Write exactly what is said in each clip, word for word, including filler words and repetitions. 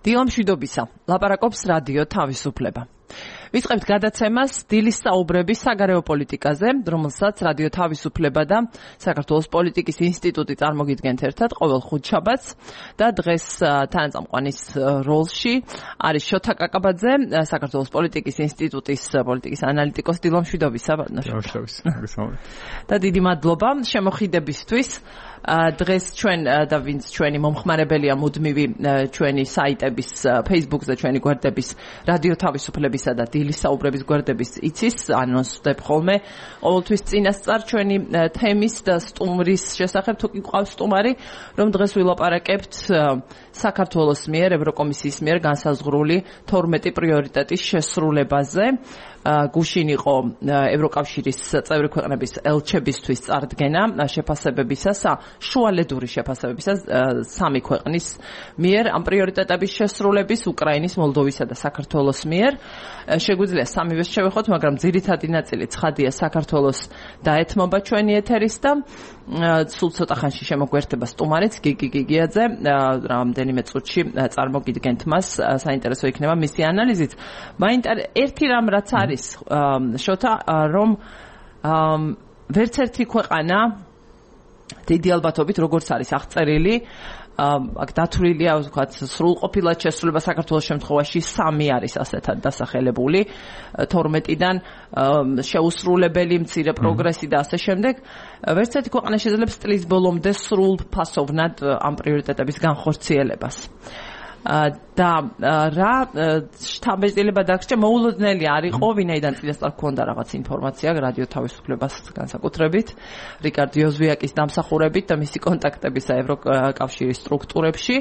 დილა მშვიდობისა, ლაპარაკობს რადიო თავისუფლება. ვიწყებთ გადაცემას დილის საუბრების საგარეო პოლიტიკაზე, რომელსაც რადიო თავისუფლება და საქართველოს პოლიტიკის ინსტიტუტი წარმოგიდგენთ ერთად ყოველ ხუთშაბათს და დღეს თანაწამყვანის როლში არის შოთა კაკაბაძე, საქართველოს პოლიტიკის ინსტიტუტის პოლიტიკის ანალიტიკოსი. დილა მშვიდობისა, მშვიდობისა. და დიდი მადლობა შემოხიდებისთვის. დღეს ჩვენ და ვინც ჩვენი მომხმარებელია მუდმივი ჩვენი საიტების Facebook-ზე ჩვენი გვერდების რადიო თავისუფლებისა და დილის საუბრების გვერდების იცის ანონსდებ ხოლმე ყოველთვის წინასწარ ჩვენი თემის და სტუმრის შესახებ თუ კი გვყავს სტუმარი, რომ დღეს ვილაპარაკებთ საქართველოს მიერ ევროკომისიის მიერ განსაზღვრული თორმეტი პრიორიტეტის შესრულებაზე. გუშინ იყო ევროკავშირის წევრი ქვეყნების ელჩებისთვის წარდგენა შეფასებებისას, შუალედური შეფასებებისას სამი ქვეყნის მიერ ამ პრიორიტეტების შესრულების უკრაინის, მოლდოვისა და საქართველოს მიერ. შეგვიძლია სამივეს შევეხოთ, მაგრამ ძირითადი ნაწილი ცხადია საქართველოს დაეთმობა ჩვენი ეთერის და სულ ცოტა ხანში შემოგვერთება სტუმარიც გიგი გიგიაძე, რამდენიმე წუთში წარმოგიდგენთ მას, საინტერესო იქნება მისი ანალიზით. მაინტერესებს ერთი რამ რაც არის შოთა, რომ ვერც ერთი ქვეყანა დიდი ალბათობით როგორც არის აღწერილი, აქ დათვლილია ვთქვათ სრულყოფილად შესრულება საქართველოს შემთხვევაში სამი არის ასეთად დასახელებული თორმეტიდან შეუსრულებელი მცირე პროგრესი და ასე შემდეგ. ვერც ერთი ქვეყანა შეძლებს წლის ბოლომდე სრულ ფასოვნად ამ პრიორიტეტების განხორციელებას. და რა შთაბეჭდილება დაგჭირა, მოულოდნელი არ იყო, ვინაიდან წინასწარ გქონდა რაღაც ინფორმაცია რადიო თავისუფლებას განსაკუთრებით, რიკარდ იოზვიაკის დამსახურებით და მისი კონტაქტებისა ევროკავშირის სტრუქტურებში,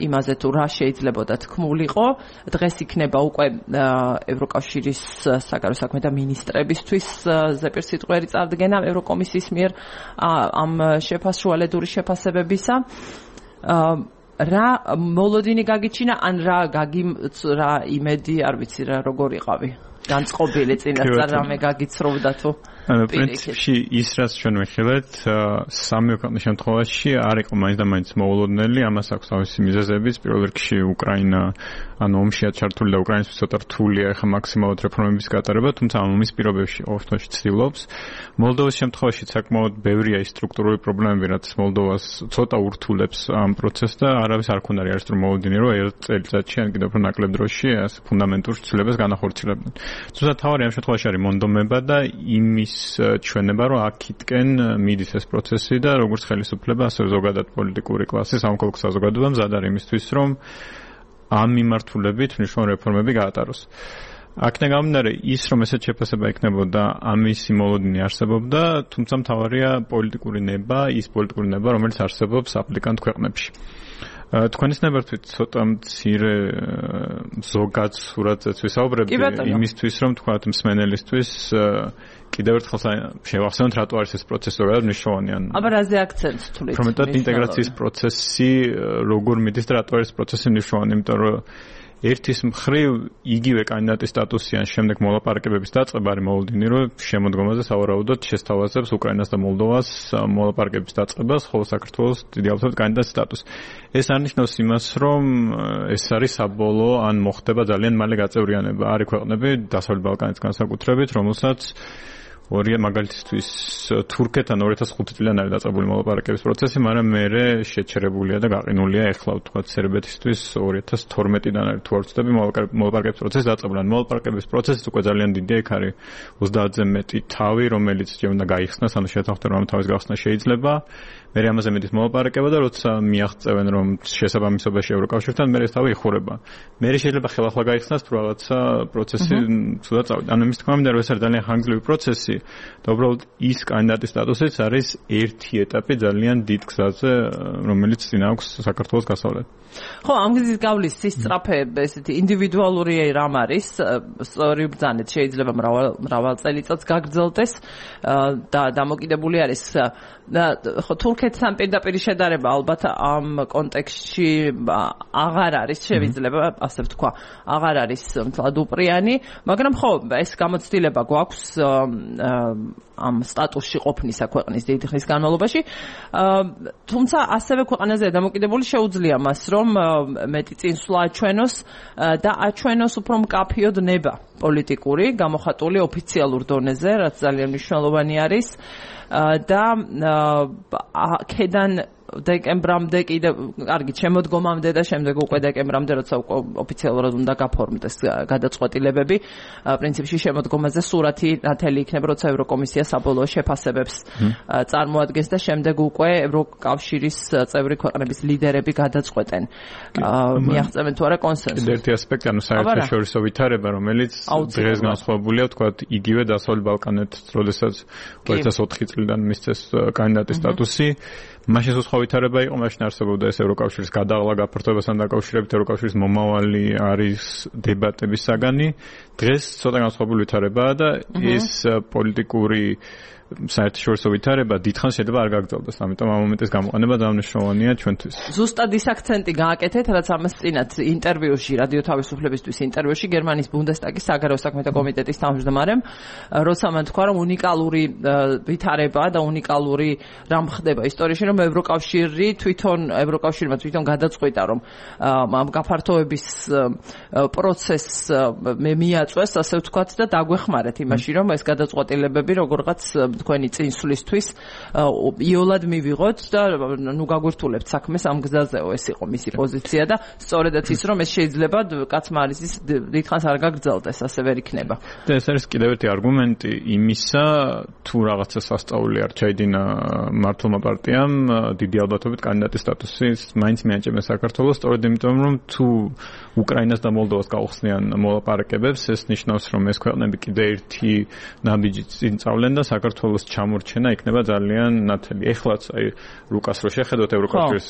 იმაზე თუ რა შეიძლებოდა თქმულიყო. დღეს იქნება უკვე ევროკავშირის საგარეო საქმეთა მინისტრებისთვის ზეპირსიტყვიერი წარდგენა ევროკომისიის მიერ ამ შეფასშუალედური შეფასებებისა. რა მოლოდინი გაგიჩინა, ან რა გაგი რა იმედი, არ ვიცი რა როგორ იყავი განწყობილი წინასწარ რამე გაგიცროვდა თუ ანუ პრინციპში ის რაც ჩვენ ვიხილეთ სამი ქვეყნის შემთხვევაში არ იყო მაინც და მაინც მოულოდნელი, ამას აქვს თავისი მიზეზებიც. პირველ რიგში უკრაინა ანუ ომშია ჩართული და უკრაინისთვის ცოტა რთულია ახლა მაქსიმალურად რეფორმების გატარება, თუმცა ამ ომის პირობებში ყოველთვის ცდილობს. მოლდოვის შემთხვევაში საკმაოდ ბევრია ის სტრუქტურული პრობლემები, რაც მოლდოვას ცოტა ურთულებს ამ პროცესს და არავის არ ქონდა რეალისტ მოლოდინი, რომ ერთ წელიწადში ან კიდევ უფრო ნაკლებ დროში ეს ფუნდამენტურ ცვლილებას განახორციელებდნენ. თუმცა თავი ამ შემთხვევაში არის მონდომება და იმის ჩვენება, რომ აქეთკენ მიდის ეს პროცესი და როგორც ხელისუფლება, ასევე ზოგადად პოლიტიკური კლასი, სამოქალაქო საზოგადოება მზად არის იმისთვის, რომ ამ მიმართულებით მნიშვნელოვანი რეფორმები გაატაროს. აქედან გამომდინარე, ის რომ ესეთ შეფასება იქნებოდა, ამისი მოლოდინი არსებობდა, თუმცა მთავარია პოლიტიკური ნება, ის პოლიტიკური ნება, რომელიც არსებობს აპლიკანტ ქვეყნებში. თქვენის ნებართვით ცოტა მცირე ზოგად სურათზეც ვისაუბრებდი იმისთვის, რომ თქვათ მსმენელისთვის კიდევ ერთხელ შევახსენოთ, რატო არის ეს პროცესი ზოგადად მნიშვნელოვანი. აბა რაზე აქცენტს თulit? პრომეტად ინტეგრაციის პროცესი როგორ მიდის და რატო არის პროცესი მნიშვნელოვანი, იმიტომ რომ ერთის მხრივ იგივე კანდიდატის სტატუსი ან შემდეგ მოლაპარაკებების დაწყება არის მოლოდინი, რომ შემოდგომაზე სავარაუდოდ შესთავაზებს უკრაინას და მოლდოვას მოლაპარაკებების დაწყებას, ხოლო საქართველოს დიდი ალბათობით კანდიდატის სტატუსი. ეს არნიშნავს იმას, რომ ეს არის საბოლოო ან მოხდება ძალიან მალე გაწევრიანება. არის ქვეყნები დასავლეთ ბალკანეთის განსაკუთრებით, რომელსაც ორი მაგალითისთვის თურქეთთან ორი ათას ხუთი წლიდან არის დაწყებული მოლაპარაკების პროცესი, მაგრამ მერე შეჩერებულია და გაყინულია ეხლა ვთქვათ სერბეთისთვის ორი ათას თორმეტიდან არის თუ არ ვცდები მოლაპარაკების პროცესი დაწყებული. მოლაპარაკების პროცესიც უკვე ძალიან დიდია, იქ არის ოცდაათზე მეტი თავი, რომელიც ჯერ უნდა გაიხსნას, ანუ შეთანხმდა რომ თავის გახსნა შეიძლება. მერე ამაზე მეტის მოლაპარაკება და როცა მიაღწევენ რომ შესაბამისობაში ევროკავშირთან, მერე ეს თავი იხურება. მერე შეიძლება ხელახლა გაიხსნას თუ რაღაცა პროცესი ცუდად წავიდა. ანუ იმის თქმა მინდა რომ ეს არის ძალიან ხანგრძლივი პროცესი და უბრალოდ ის კანდიდატის სტატუსიც არის ერთი ეტაპი ძალიან დიდ გზაზე, რომელიც წინ აქვს საქართველოს გასავლად. ხო, ამ გზის გავლის სისწრაფე ესეთი ინდივიდუალური რამ არის, სწორი ბრძანეთ შეიძლება მრავალ მრავალ წელიწადს გაგრძელდეს და დამოკიდებული არის. ხო, თურქეთი თურქეთთან პირდაპირ შედარება ალბათ ამ კონტექსტში აღარ არის შეიძლება ასე ვთქვა, აღარ არის მთლად უპრიანი, მაგრამ ხო, ეს გამოცდილება გვაქვს ამ სტატუსში ყოფნისა ქვეყნის დიდი ხნის განმავლობაში. თუმცა ასევე ქვეყანაზე დამოკიდებული შეუძლია მას, რომ მეტი წინსვლა აჩვენოს და აჩვენოს უფრო მკაფიოდ ნება პოლიტიკური, გამოხატული ოფიციალურ დონეზე, რაც ძალიან მნიშვნელოვანი არის და აქედან დეკემბრამდე კიდე კარგი შემოდგომამდე და შემდეგ უკვე დეკემბრამდე როცა ოფიციალურად უნდა გაფორმდეს გადაწყვეტილებები პრინციპში შემოდგომაზე სურათი ნათელი იქნება როცა ევროკომისია საბოლოო შეფასებებს წარმოადგენს და შემდეგ უკვე ევროკავშირის წევრი ქვეყნების ლიდერები გადაწყვეტენ მიაღწევენ თუ არა კონსენსუსს. ერთი ასპექტი ანუ საერთაშორისო ვითარება რომელიც დღეს განსხვავებულია ვთქვათ იგივე დასავლეთ ბალკანეთს როდესაც ორი ათას ოთხი წლიდან მისცეს კანდიდატის სტატუსი მაშინ სხვა ვითარება იყო, მაშინ არსებობდა ეს ევროკავშირის გადაღლა გაფართოებასთან დაკავშირებით ევროკავშირის მომავალი არის დებატების საგანი. დღეს ცოტა განსხვავებული ვითარებაა და ეს პოლიტიკური საერთაშორისო ვითარება დიდხანს შეიძლება არ გაგრძელდეს. ამიტომ ამ მომენტის გამოყენება დანიშნულოვანია ჩვენთვის. ზუსტად ის აქცენტი გააკეთეთ, რაც ამას წინათ ინტერვიუში, რადიო თავისუფლებისთვის ინტერვიუში გერმანიის ბუნდესტაგის საგარეო საქმეთა კომიტეტის თავმჯდომარემ, როცა მან თქვა, რომ უნიკალური ვითარებაა და უნიკალური რამ ხდება ისტორიაში, რომ ევროკავშირი თვითონ ევროკავშირმა თვითონ გადაწყვიტა, რომ ამ გაფართოების პროცესს მიაწვეს, ასე ვთქვათ, და დაგვეხმარეთ იმაში, რომ ეს გადაწყვეტილებები როგორღაც თქვენი წინსვლისთვის იოლად მივიღოთ და ნუ გაგვირთულებთ საქმეს ამ გზაზეო, ეს იყო მისი პოზიცია და სწორედაც ის რომ ეს შეიძლება კაცმა არის ის დიდხანს არ გაგრძელდეს, ასე ვერ იქნება. და ეს არის კიდევ ერთი არგუმენტი იმისა, თუ რაღაცა სასწაული არ ჩაიდინა მართლმა პარტიამ დიდი ალბათობით კანდიდატის სტატუსის მაინც მიაჭებენ საქართველოს, სწორედ იმიტომ რომ თუ უკრაინას და მოლდოვას გაუხსნიან მოლაპარაკებებს, ეს ნიშნავს რომ ეს ქვეყნები კიდე ერთი ნაბიჯი წინ წავლენ და საქართველოს ჩამორჩენა იქნება ძალიან ნათელი. ეხლაც აი რუკას რო შეხედოთ ევროკავშირის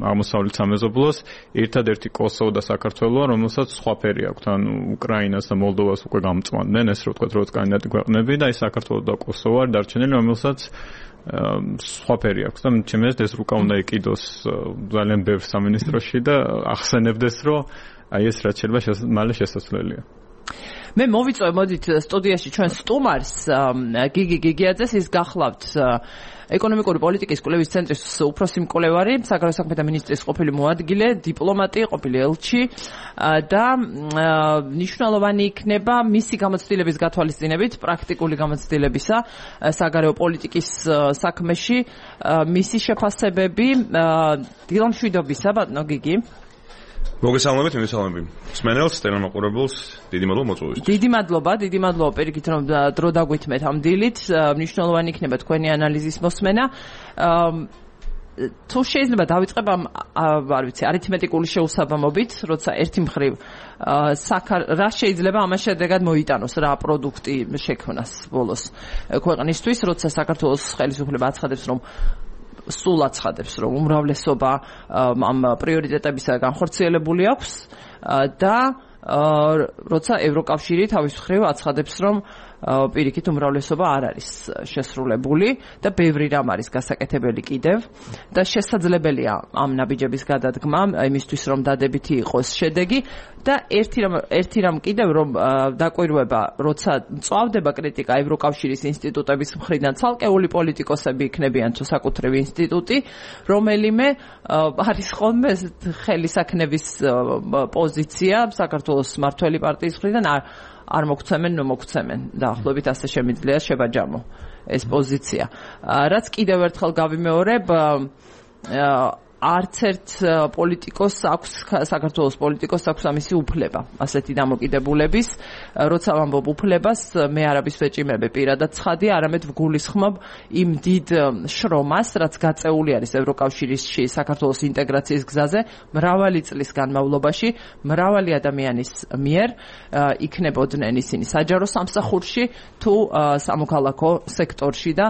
აღმოსავლეთ სამეზობლოს, ერთადერთი კოსოვო და საქართველოა, რომელსაც სხვა ფერი აქვს. ანუ უკრაინას და მოლდოვას უკვე გამწვანდნენ, ეს რო ვთქვათ, როგორც კანდიდატი ქვეყნები და აი საქართველო და კოსოვო არ დარჩენილი, რომელსაც სხვა ფერი აქვს და ჩემს ეს რუკა უნდა იყიდოს ძალიან ბევრ სამინისტროში და ახსენებდეს, რომ აი ეს რაც შეიძლება მალე შესაძლებელია. მე მოვიწვევ მოდით სტუდიაში ჩვენ სტუმარს გიგი გიგიაძეს, ის გახლავთ ეკონომიკური პოლიტიკის კვლევის ცენტრის უფროსი მკვლევარი, საგარეო საქმეთა მინისტრის ყოფილი მოადგილე, დიპლომატი, ყოფილი ელჩი და მნიშვნელოვანი იქნება მისი გამოცდილების გათვალისწინებით, პრაქტიკული გამოცდილებისა საგარეო პოლიტიკის საქმეში, მისი შეფასებები დილამშვიდობისა, ბატონო გიგი. მოგესალმებით, მოგესალმებით. მსმენელს, ტელემოყურებელს, დიდი მადლობა მოწვევისთვის. დიდი მადლობა, დიდი მადლობა პირიქით რომ დრო დაგვითმეთ ამ დილით. მნიშვნელოვანი იქნება თქვენი ანალიზის მოსმენა. თუ შეიძლება დავიწყებ ამ არ ვიცი, არითმეტიკული შეუსაბამობით, როცა ერთი მხრივ რა შეიძლება ამას შედეგად მოიტანოს რა პროდუქტი შექმნას ბოლოს ქვეყნისთვის, როცა საქართველოს ხელისუფლება აცხადებს, რომ სულ აცხადებს, რომ უმრავლესობა ამ პრიორიტეტებისა განხორციელებული აქვს და როცა ევროკავშირი თავის მხრივ აცხადებს, რომ პირიქით უმრავლესობა არ არის შესრულებული და ბევრი რამ არის გასაკეთებელი კიდევ და შესაძლებელია ამ ნაბიჯების გადადგმა იმისთვის, რომ დადებითი იყოს შედეგი და ერთი რამ ერთი რამ კიდევ რომ დაკვირვება, როცა წავდება კრიტიკა ევროკავშირის ინსტიტუტების მხრიდან, ცალკეული პოლიტიკოსები იქნებიან თუ საკუთრივი ინსტიტუტი, რომელიმე არის ხოლმე ხელისაქნების პოზიცია საქართველოს მმართველი პარტიის მხრიდან არ არ მოგცემენ, ნუ მოგცემენ. დაახლოებით ასე შემიძლია შებაჯამო ეს პოზიცია. რაც კიდევ ერთხელ გავიმეორებ, არც ერთ პოლიტიკოს აქვს საქართველოს პოლიტიკოს აქვს ამისი უფლება, ასეთი დამოკიდებულების, როცა ვამბობ უფლებას, მე არაბის ვეჭიმები პირადად ცხადია, არამედ ვგულისხმობ იმ დიდ შრომას, რაც გაწეული არის ევროკავშირში საქართველოს ინტეგრაციის გზაზე მრავალი წლის განმავლობაში, მრავალი ადამიანის მიერ იქნებოდნენ ისინი საჯარო სამსახურში თუ სამოქალაქო სექტორში და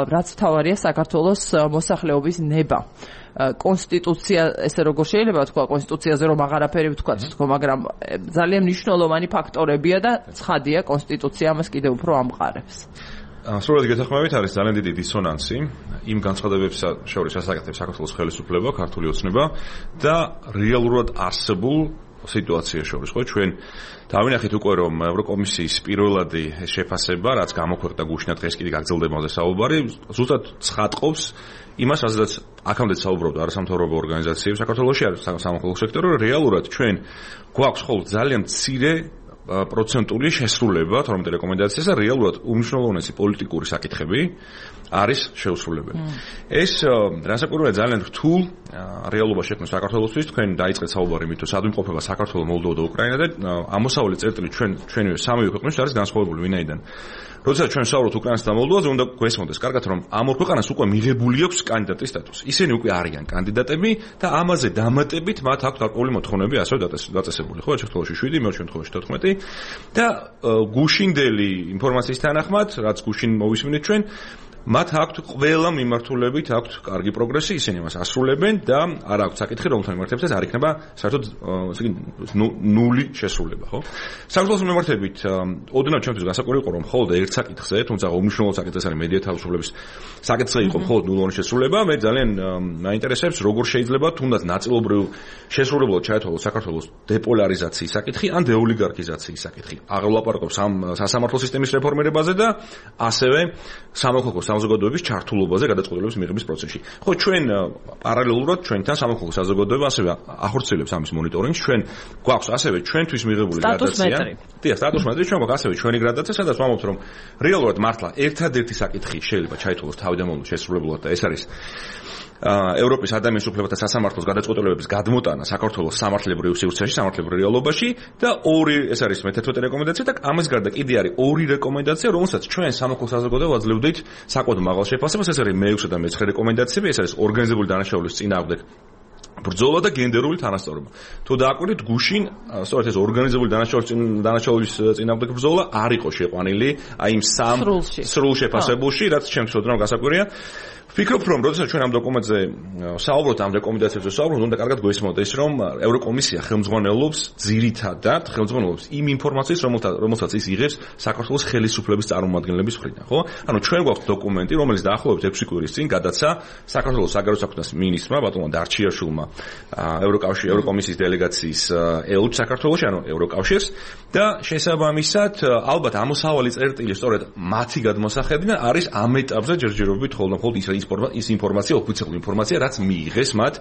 რაც თავარია საქართველოს მოსახლეობის ნება. კონსტიტუცია, ესე როგორ შეიძლება თქვა, კონსტიტუციაზე რომ აღარაფერი ვთქვა, თქო, მაგრამ ძალიან მნიშვნელოვანი ფაქტორებია და ცხადია კონსტიტუცია ამას კიდევ უფრო ამყარებს. სრულად გეთანხმებით არის ძალიან დიდი დისონანსი იმ განცხადებებსა შორის ასაკეთებს საქართველოს ხელისუფლება, ქართული ოცნება და რეალურად არსებულ სიტუაცია შორის, ხო, ჩვენ დავინახეთ უკვე რომ ევროკომისიის პირველადი შეფასება, რაც გამოქვეყნდა გუშინად დღეს კიდე გაგრძელდება ამაზე საუბარი, ზუსტად ცხადყოფს იმას, რაზეც აქამდე საუბრობდა არასამთავრობო ორგანიზაციები საქართველოში, არის სამოქალაქო სექტორი, რეალურად ჩვენ გვაქვს ხოლმე ძალიან მცირე პროცენტული შესრულება თორმეტ რეკომენდაციას და რეალურად უმნიშვნელოვანესი პოლიტიკური საკითხები არის შეუსრულებელი. ეს რასაკვირველია ძალიან რთულ რეალობას შექმნის საქართველოსთვის. თქვენ დაიწყეთ საუბარი იმით, რომ სად იმყოფება საქართველო, მოლდოვა და უკრაინა და ამოსავალი წერტილი ჩვენ ჩვენივე სამივე ქვეყნის არის განსხვავებული ვინაიდან. როდესაც ჩვენ საუბრობთ უკრაინასა და მოლდოვაზე, უნდა გვესმოდეს კარგად, რომ ამ ორ ქვეყანას უკვე მიღებული აქვს კანდიდატის სტატუსი. ისინი უკვე არიან კანდიდატები და ამაზე დამატებით მათ აქვთ გარკვეული მოთხოვნები ასევე დაწესებული. ხო, ერთ შემთხვევაში შვიდი, მეორე შემთხვევაში თოთხმეტი და გუშინდელი ინფორმაციის თანახმად, რაც გუშინ მოვისმინეთ ჩვენ, მათ აქვთ ყველა მიმართულებით აქვთ კარგი პროგრესი, ისინი მას ასრულებენ და არ აქვთ საკითხი, რომელთან მიმართებაც არ იქნება საერთოდ ესე იგი ნული შესრულება, ხო? საქართველოს მიმართებით ოდნავ ჩემთვის გასაკვირი იყო, რომ მხოლოდ ერთ საკითხზე, თუმცა უმნიშვნელო საკითხი არის მედია თავისუფლების საკითხზე იყო მხოლოდ ნულოვანი შესრულება. მე ძალიან მაინტერესებს, როგორ შეიძლება თუნდაც ნაწილობრივ შესრულებულად ჩაეთვალოს საქართველოს დეპოლარიზაციის საკითხი ან დეოლიგარქიზაციის საკითხი. აღვლაპარაკობს ამ სასამართლო სისტემის რეფორმირებაზე და ასევე სამოქალაქო საზოგადოების ჩართულობაზე გადაწყვეტილების მიღების პროცესში. ხო, ჩვენ პარალელურად ჩვენთან სამოქალაქო საზოგადოება ასევე ახორციელებს ამის მონიტორინგს. ჩვენ გვაქვს ასევე ჩვენთვის მიღებული გრადაცია. დიახ, სტატუს მეტრი ჩვენ გვაქვს ასევე ჩვენი გრადაცია, სადაც ვამბობთ, რომ რეალურად მართლა ერთადერთი საკითხი შეიძლება ჩაითვალოს თავდამოვლ შესრულებულად და ეს არის ევროპის ადამიანის უფლებათა სასამართლოს გადაწყვეტილებების გადმოტანა საქართველოს სამართლებრივ სივრცეში, სამართლებრივ რეალობაში და ორი ეს არის მეთერთმეტე რეკომენდაცია და ამის გარდა კიდე არის ორი რეკომენდაცია, რომელსაც ჩვენ სამოქალაქო საზოგადოება აძლევდით საკმაოდ მაღალ შეფასებას. ეს არის მეექვსე და მეცხრე რეკომენდაციები, ეს არის ორგანიზებული დანაშაულის წინააღმდეგ ბრძოლა და გენდერული თანასწორობა. თუ დააკვირდით, გუშინ სწორედ ეს ორგანიზებული დანაშაულის დანაშაულის წინააღმდეგ ბრძოლა არ იყო შეყვანილი აი იმ სამ სრულ შეფასებულში, რაც ჩემთვის ოდნავ გასაკვირია. ვფიქრობ, რომ როდესაც ჩვენ ამ დოკუმენტზე საუბრობთ, ამ რეკომენდაციებზე საუბრობთ, უნდა კარგად გვესმოდეს, რომ ევროკომისია ხელმძღვანელობს ძირითადად ხელმძღვანელობს იმ ინფორმაციას, რომელსაც ის იღებს საქართველოს ხელისუფლების წარმომადგენლების მხრიდან, ხო? ანუ ჩვენ გვაქვს დოკუმენტი, რომელიც დაახლოებით ექვსი კვირის წინ გადაცა საქართველოს საგარეო საქმეთა მინისტრმა, ბატონმა დარჩიაშვილმა, ევროკავშირის ევროკომისიის დელეგაციის ელჩ საქართველოში, ანუ ევროკავშირს და შესაბამისად, ალბათ ამოსავალი წერტილი სწორედ მათი გადმოსახედიდან არის ამ ეტაპზე ჯერჯერობით ხოლმე მხოლოდ ის ის ინფორმაცია, ოფიციალური ინფორმაცია, რაც მიიღეს მათ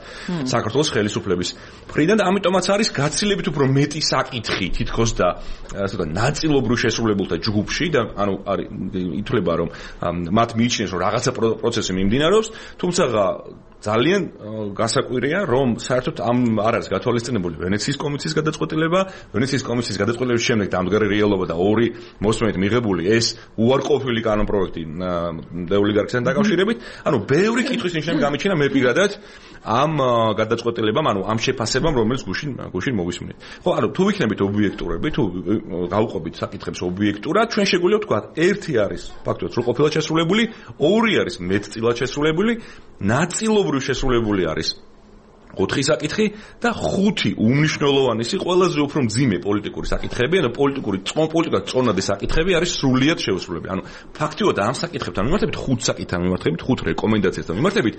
საქართველოს ხელისუფლების მხრიდან და ამიტომაც არის გაცილებით უფრო მეტი საკითხი თითქოს და ასე ვთქვათ, ნაწილობრივ შესრულებულთა ჯგუფში და ანუ არის ითვლება, რომ მათ მიიჩნიეს, რომ რაღაცა პროცესი მიმდინარეობს, თუმცა ძალიან გასაკვირია, რომ საერთოდ ამ არ არის გათვალისწინებული ვენეციის კომისიის გადაწყვეტილება, ვენეციის კომისიის გადაწყვეტილების შემდეგ დამდგარი რეალობა და ორი მოსმენით მიღებული ეს უარყოფილი კანონპროექტი დეოლიგარქიასთან დაკავშირებით, ანუ ბევრი კითხვის ნიშანი გამიჩნია მე პირადად ამ გადაწყვეტილებამ, ანუ ამ შეფასებამ, რომელიც გუშინ გუშინ მოვისმინეთ. ხო, ანუ თუ ვიქნებით ობიექტურები, თუ გავუყობით საკითხებს ობიექტურად, ჩვენ შეგვიძლია ვთქვათ, ერთი არის ფაქტობრივად სრულყოფილად შესრულებული, ორი არის მეტწილად შესრულებული, ნაწილობრივ შესრულებული არის ოთხი საკითხი და ხუთი უმნიშვნელოვანესი, ყველაზე უფრო მძიმე პოლიტიკური საკითხები, ანუ პოლიტიკური პოლიტიკურად წონადი საკითხები არის სრულიად შეუსრულებელი. ანუ ფაქტიურად ამ საკითხებთან მიმართებით, ხუთ საკითხთან მიმართებით, ხუთ რეკომენდაციასთან მიმართებით,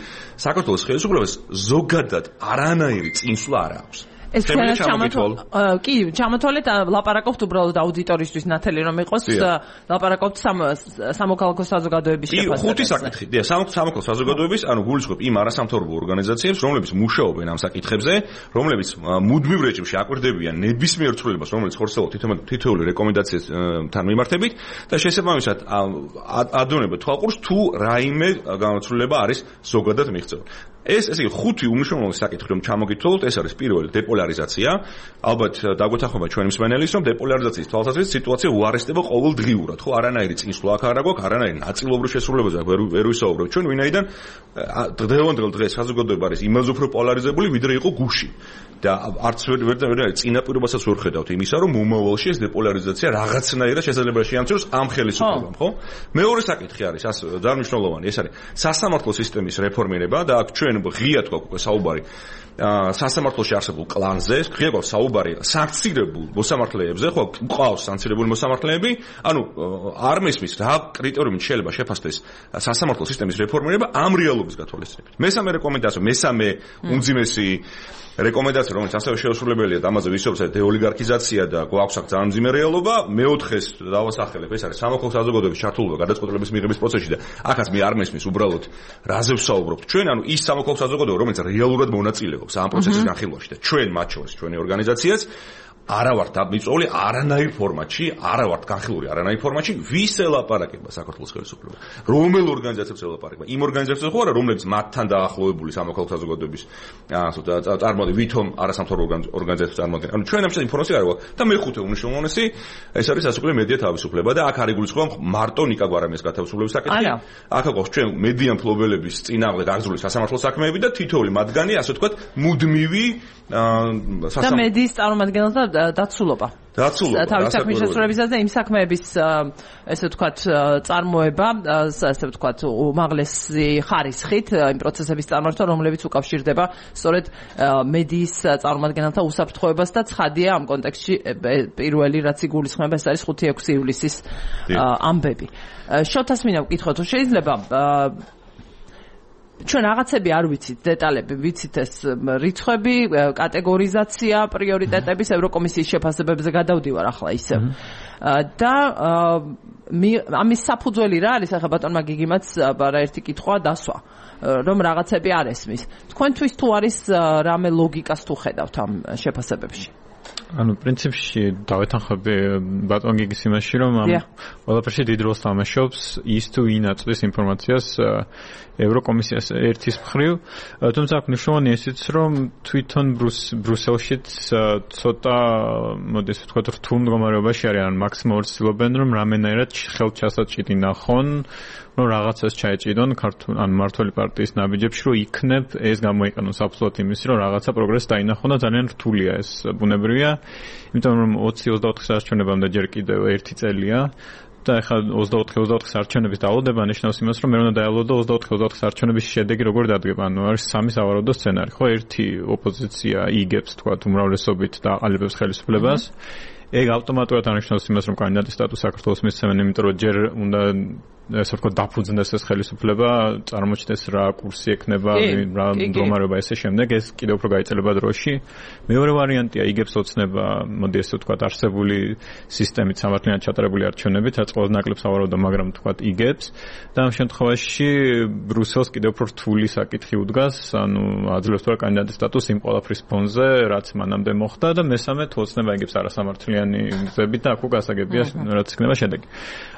საქართველოს ხელისუფლებას ზოგადად არანაირი წინსვლა არ აქვს. ეს ჩვენს ჩამოთვალ კი ჩამოთვალეთ ლაპარაკობთ უბრალოდ აუდიტორისთვის ნათელი რომ იყოს ლაპარაკობთ სამოქალაქო საზოგადოების შეფასებას. ხუთი საკითხი. დიახ, სამოქალაქო საზოგადოების, ანუ გულისხმობ იმ არასამთავრობო ორგანიზაციებს, რომლებიც მუშაობენ ამ საკითხებზე, რომლებიც მუდმივ რეჟიმში აკვირდებიან ნებისმიერ ცვლილებას, რომელიც ხორცელობს თითოეული რეკომენდაციასთან მიმართებით და შესაბამისად ადონებთ თვალყურს თუ რაიმე განაცვლილება არის ზოგადად მიღწეული. ეს ესე იგი ხუთი უმნიშვნელოვანესი საკითხი რომ ჩამოგითვალოთ, ეს არის პირველი დეპოლარიზაცია. ალბათ დაგვეთანხმება ჩვენი მსმენელის, რომ დეპოლარიზაციის თვალსაზრისით სიტუაცია უარესდება ყოველდღიურად, ხო, არანაირი წინსვლა აქ არ აქვს, არანაირი ნაწილობრივ შესრულებაზე ვერ ვისაუბრებ ჩვენ, ვინაიდან დღევანდელ დღეს საზოგადოება არის იმაზე უფრო პოლარიზებული, ვიდრე იყო გუშინ. და არც ვერ ვერ წინაპირობასაც ვერ ხედავთ იმისა, რომ მომავალში ეს დეპოლარიზაცია რაღაცნაირად შესაძლებელი შეამციროს ამ ხელისუფლებამ, ხო? მეორე საკითხი არის, ას ძალიან მნიშვნელოვანი, ეს არის სასამართლო სისტემის რეფორმირება და აქ ჩვენ ღიად გვაქვს უკვე საუბარი სასამართლოში არსებულ კლანზე, ღია გვაქვს საუბარი სანქცირებულ მოსამართლეებზე, ხო, ყავს სანქცირებული მოსამართლეები, ანუ არ მისმის რა კრიტერიუმით შეიძლება შეფასდეს სასამართლო სისტემის რეფორმირება ამ რეალობის გათვალისწინებით. მესამე რეკომენდაცია, მესამე უმძიმესი რეკომენდაცია, რომელიც ასევე შეუსრულებელია და ამაზე ვისაუბრეთ, დეოლიგარქიზაცია და გვაქვს აქ ძალიან მძიმე რეალობა. მეოთხეს დავასახელებ, ეს არის სამოქალაქო საზოგადოების ჩართულობა გადაწყვეტილების მიღების პროცესში და აქაც მე არ მესმის უბრალოდ რაზე ვსაუბრობთ. ჩვენ ანუ ის სამოქალაქო საზოგადოება, რომელიც რეალურად მონაწილეობს ამ პროცესის განხილვაში და ჩვენ მათ შორის ჩვენი ორგანიზაციაც არა ვართ მიწვეული არანაირ ფორმატში, არა ვართ განხილული არანაირ ფორმატში, ვის ელაპარაკება საქართველოს ხელისუფლება. რომელ ორგანიზაციებს ელაპარაკება? იმ ორგანიზაციებს ხო არა, რომლებიც მათთან დაახლოებული სამოქალაქო საზოგადოების ასე წარმოადგენენ, ვითომ არასამთავრობო ორგანიზაციებს წარმოადგენენ. ანუ ჩვენ ამ შემთხვევაში ინფორმაცია არ გვაქვს და მეხუთე უმნიშვნელოვანესი ეს არის სასუქრე მედია თავისუფლება და აქ არ იგულისხმება მარტო ნიკა გვარამიას გათავისუფლების საკითხი. აქ აქვს ჩვენ მედია მფლობელების წინააღმდეგ აღძრული სასამართლო საქმეები და თითოეული მათგანი ასე ვთქვათ მუდმივი და მედიის წარმომადგენელთა დაცულობა. დაცულობა. თავის საქმის შესრულებისა და იმ საქმეების ესე ვთქვათ წარმოება, ასე ვთქვათ უმაღლესი ხარისხით იმ პროცესების წარმართვა, რომლებიც უკავშირდება სწორედ მედიის წარმომადგენელთა უსაფრთხოებას და ცხადია ამ კონტექსტში პირველი რაც იგულისხმება ეს არის ხუთი ექვსი ივლისის ამბები. შოთას მინდა ვკითხო თუ შეიძლება ჩვენ რაღაცები არ ვიცით დეტალები, ვიცით ეს რიცხვები, კატეგორიზაცია, პრიორიტეტების ევროკომისიის შეფასებებზე გადავდივარ ახლა ისე. და ამის საფუძველი რა არის? ახლა ბატონმა გიგიმაც რა ერთი კითხვა დასვა, რომ რაღაცები არ ესმის. თქვენთვის თუ არის რამე ლოგიკას თუ ხედავთ ამ შეფასებებში? ანუ პრინციპში დავეთანხმები ბატონ გიგის იმაში, რომ ამ ყველაფერში დიდ როლს თამაშობს ის თუ ვინ აწვდის ინფორმაციას ევროკომისიას ერთის მხრივ, თუმცა აქ მნიშვნელოვანია ისიც, რომ თვითონ ბრუსელშიც ცოტა მოდი ასე ვთქვათ რთულ მდგომარეობაში არიან, მაქსიმალურად ცდილობენ რომ რამენაირად ხელჩასაჭიდი ნახონ, რომ რაღაცას ჩაეჭიდონ ქართულ ან მმართველი პარტიის ნაბიჯებში, რომ იქნებ ეს გამოიყენონ საფუძვლად იმის, რომ რაღაცა პროგრესი დაინახონ და ძალიან რთულია ეს ბუნებრივია, იმიტომ რომ ოცი ოცდაოთხის არჩევნებამდე ჯერ კიდევ ერთი წელია და ახლა ოცდაოთხი ოცდაოთხის არჩევნების დაალოდება ნიშნავს იმას, რომ მე უნდა დაალოდო ოცდაოთხი ოცდაოთხის არჩევნების შედეგი როგორ დადგება. ანუ არის სამი სავარაუდო სცენარი, ხო? ერთი ოპოზიცია იგებს თქვა უმრავლესობით და აყალიბებს ხელისუფლებას. ეგ ავტომატურად ანიშნავს იმას, რომ კანდიდატის სტატუსი საქართველოს მისცემენ, იმიტომ რომ ჯერ უნდა ესე ვთქვათ დაფუძნდეს ეს ხელისუფლება, წარმოჩნდეს რა კურსი ექნება, რა მდგომარეობა ესე შემდეგ, ეს კიდევ უფრო გაიწელება დროში. მეორე ვარიანტია იგებს ოცნება, მოდი ესე ვთქვათ არსებული სისტემით სამართლიანად ჩატარებული არჩევნებით, რაც ყველაზე ნაკლებ სავარაუდო, მაგრამ ვთქვათ იგებს და ამ შემთხვევაში ბრუსელს კიდევ უფრო რთული საკითხი უდგას, ანუ აძლევს თუ არა კანდიდატის სტატუსი იმ ყველაფრის ფონზე, რაც მანამდე მოხდა და მესამე თუ ოცნება იგებს არასამართლიანი გზებით და აქ უკასაგებია რაც იქნება შედეგი.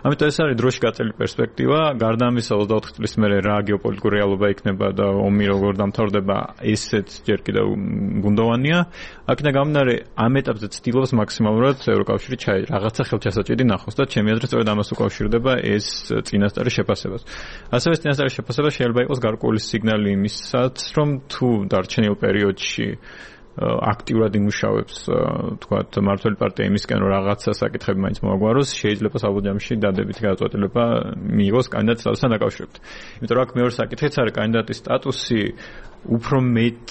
ამიტომ ეს არის დროში გაწეული პერსპექტივა. გარდა ამისა ოცდაოთხი წლის მერე რა გეოპოლიტიკური რეალობა იქნება და ომი როგორ დამთავრდება, ესეც ჯერ კიდევ გუნდოვანია. აქედან გამომდინარე, ამ ეტაპზე ცდილობს მაქსიმალურად ევროკავშირი ჩაი რაღაცა ხელჩასაჭიდი ნახოს და ჩემი აზრით სწორედ ამას უკავშირდება ეს წინასწარი შეფასებას. ასევე წინასწარი შეფასება შეიძლება იყოს გარკვეული სიგნალი იმისაც, რომ თუ დარჩენილ პერიოდში აქტიურად იმუშავებს თქვათ მმართველი პარტია იმისკენ რომ რაღაცა საკითხები მაინც მოაგვაროს, შეიძლება საბოლოოში დადებითი გადაწყვეტილება მიიღოს კანდიდატის სტატუსთან დაკავშირებით. იმიტომ რომ აქ მეორე საკითხიც არის კანდიდატის სტატუსი უფრო მეტ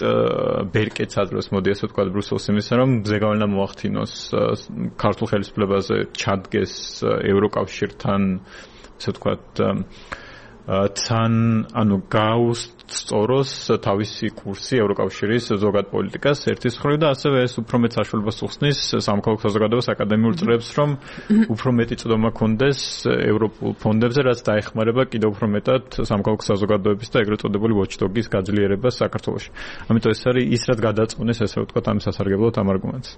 ბერკეტს აძლევს, მოდი ასე ვთქვათ ბრუსელს იმისა, რომ ზეგავლენა მოახდინოს ქართულ ხელისუფლებაზე, ჩადგეს ევროკავშირთან, ასე ვთქვათ თან ანუ გაუსწოროს თავისი კურსი ევროკავშირის ზოგად პოლიტიკას ერთის მხრივ და ასევე ეს უფრო მეტ საშუალებას უხსნის სამოქალაქო საზოგადოებას აკადემიურ წრებს, რომ უფრო მეტი წვდომა კონდეს ევროპულ ფონდებზე, რაც დაეხმარება კიდევ უფრო მეტად სამოქალაქო საზოგადოების და ეგრეთ წოდებული watchdog-ის გაძლიერებას საქართველოში. ამიტომ ეს არის ის, რაც გადაწყვეტს ესე ვთქვათ ამ სასარგებლოდ ამ არგუმენტს.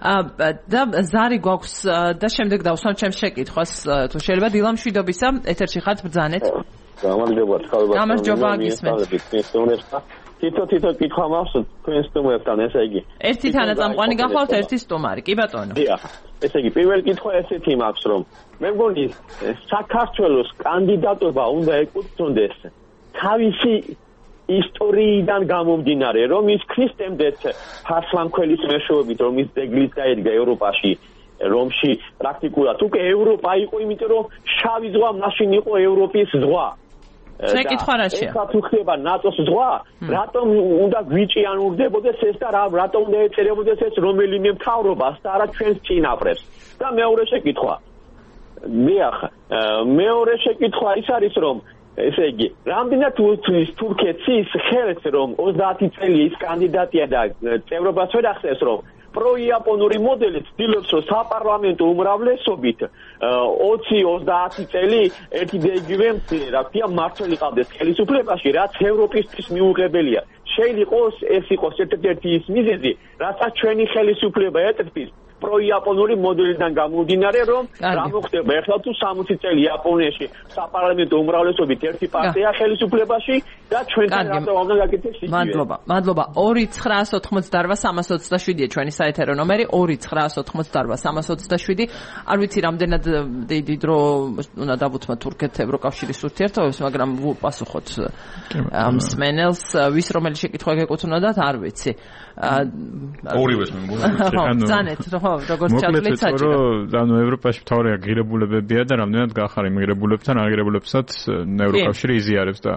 და ზარი გვაქვს და შემდეგ დავსვამ ჩემს შეკითხვას თუ შეიძლება დილა მშვიდობისა ეთერში ხართ ბრძანეთ. გამარჯობა, თქვენ გამარჯობა გისმენთ. თითო თითო კითხვა მაქვს თქვენ სტუმრებთან, ესე იგი. ერთი თანაწამყვანი გახლავთ, ერთი სტუმარი. კი ბატონო. დიახ. ესე იგი, პირველი კითხვა ესეთი მაქვს, რომ მე მგონი საქართველოს კანდიდატობა უნდა ეკუთვნოდეს თავისი ისტორიიდან გამომდინარე, რომ ის ქრისტემდეთ ფარსლამქველის მეშვეობით, რომ ის ძეგლიც დაედგა ევროპაში, რომში პრაქტიკულად უკვე ევროპა იყო, იმიტომ რომ შავი ზღვა მაშინ იყო ევროპის ზღვა. შეკითხვა რაშია? ეხლა თუ ხდება ნატოს ზღვა, რატომ უნდა გვიჭიანურდებოდეს ეს და რატომ უნდა ეწერებოდეს ეს რომელიმე მთავრობას და არა ჩვენს წინაპრებს? და მეორე შეკითხვა. მეახ, მეორე შეკითხვა ის არის, რომ ესე იგი, რამდენად უთვლის თურქეთს ის ხელს, რომ ოცდაათი წელი ის კანდიდატია და წევრობას ვერ ახსენს, რომ პროიაპონური მოდელი ცდილობს, რომ საპარლამენტო უმრავლესობით ოცი ოცდაათი წელი ერთი და იგივე, რა ქვია, მმართველი ყავდეს ხელისუფლებაში, რაც ევროპისთვის მიუღებელია. შეიძლება იყოს ეს იყოს ერთ-ერთი ის მიზეზი, რასაც ჩვენი ხელისუფლება ეწევს პროიაპონური მოდელიდან გამომდინარე, რომ რა მოხდება ახლა თუ სამოცი წელი იაპონიაში საპარლამენტო უმრავლესობით ერთი პარტია ხელისუფლებაში და ჩვენთან რატო უნდა გაკეთდეს იგივე. მადლობა. მადლობა. ორი ცხრაას ოთხმოცდაოთხ სამას ოცდაშვიდია ჩვენი საეთერო ნომერი ორი ცხრაას ოთხმოცდაოთხ სამას ოცდაშვიდი. არ ვიცი რამდენად დიდი დრო უნდა დავუთმოთ თურქეთ ევროკავშირის ურთიერთობებს, მაგრამ ვუპასუხოთ ამ სმენელს, ვის რომელი შეკითხვა გეკუთვნოდათ, არ ვიცი. ორივეს მე მგონი. ზანეთ, ხო, როგორც ჩათვლით საჭირო. ანუ ევროპაში მთავარი აღირებულებებია და რამდენად გახარ იმ ღირებულებთან აღირებულებსაც ევროკავშირი იზიარებს და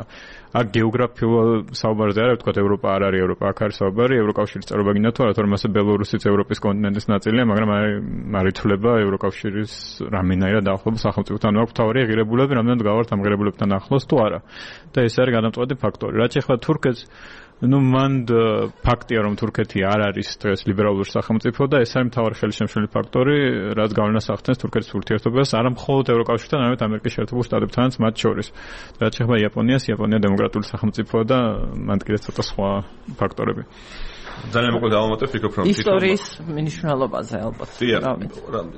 აქ გეოგრაფიულ საუბარზე არა ვთქვათ ევროპა არ არის ევროპა, აქ არის საუბარი ევროკავშირის წევრობა გინდა თუ არა, თორემ ასე ბელორუსიც ევროპის კონტინენტის ნაწილია, მაგრამ არ ითვლება ევროკავშირის რამდენადაც ახლოს სახელმწიფოთან. აქ მთავარი აღირებულები რამდენად გავართ ამ ღირებულებთან ახლოს თუ არა. და ეს არის გადამწყვეტი ფაქტორი. რაც ეხლა თურქეთს ну მან ფაქტია რომ თურქეთი არ არის დღეს ლიბერალური სახელმწიფო და ეს არის მთავარი ხელშემშლელი ფაქტორი, რაც გავლენას ახდენს თურქეთის ურთიერთობებს არა მხოლოდ ევროკავშირთან, არამედ ამერიკის შეერთებულ შტატებთანაც მათ შორის. რაც შეეხება იაპონიას, იაპონია დემოკრატიული სახელმწიფოა და მან კიდევ ცოტა სხვა ფაქტორები. ძალიან მოკლედ დავამატებ, ვფიქრობ რომ ისტორიის მნიშვნელობაზე ალბათ.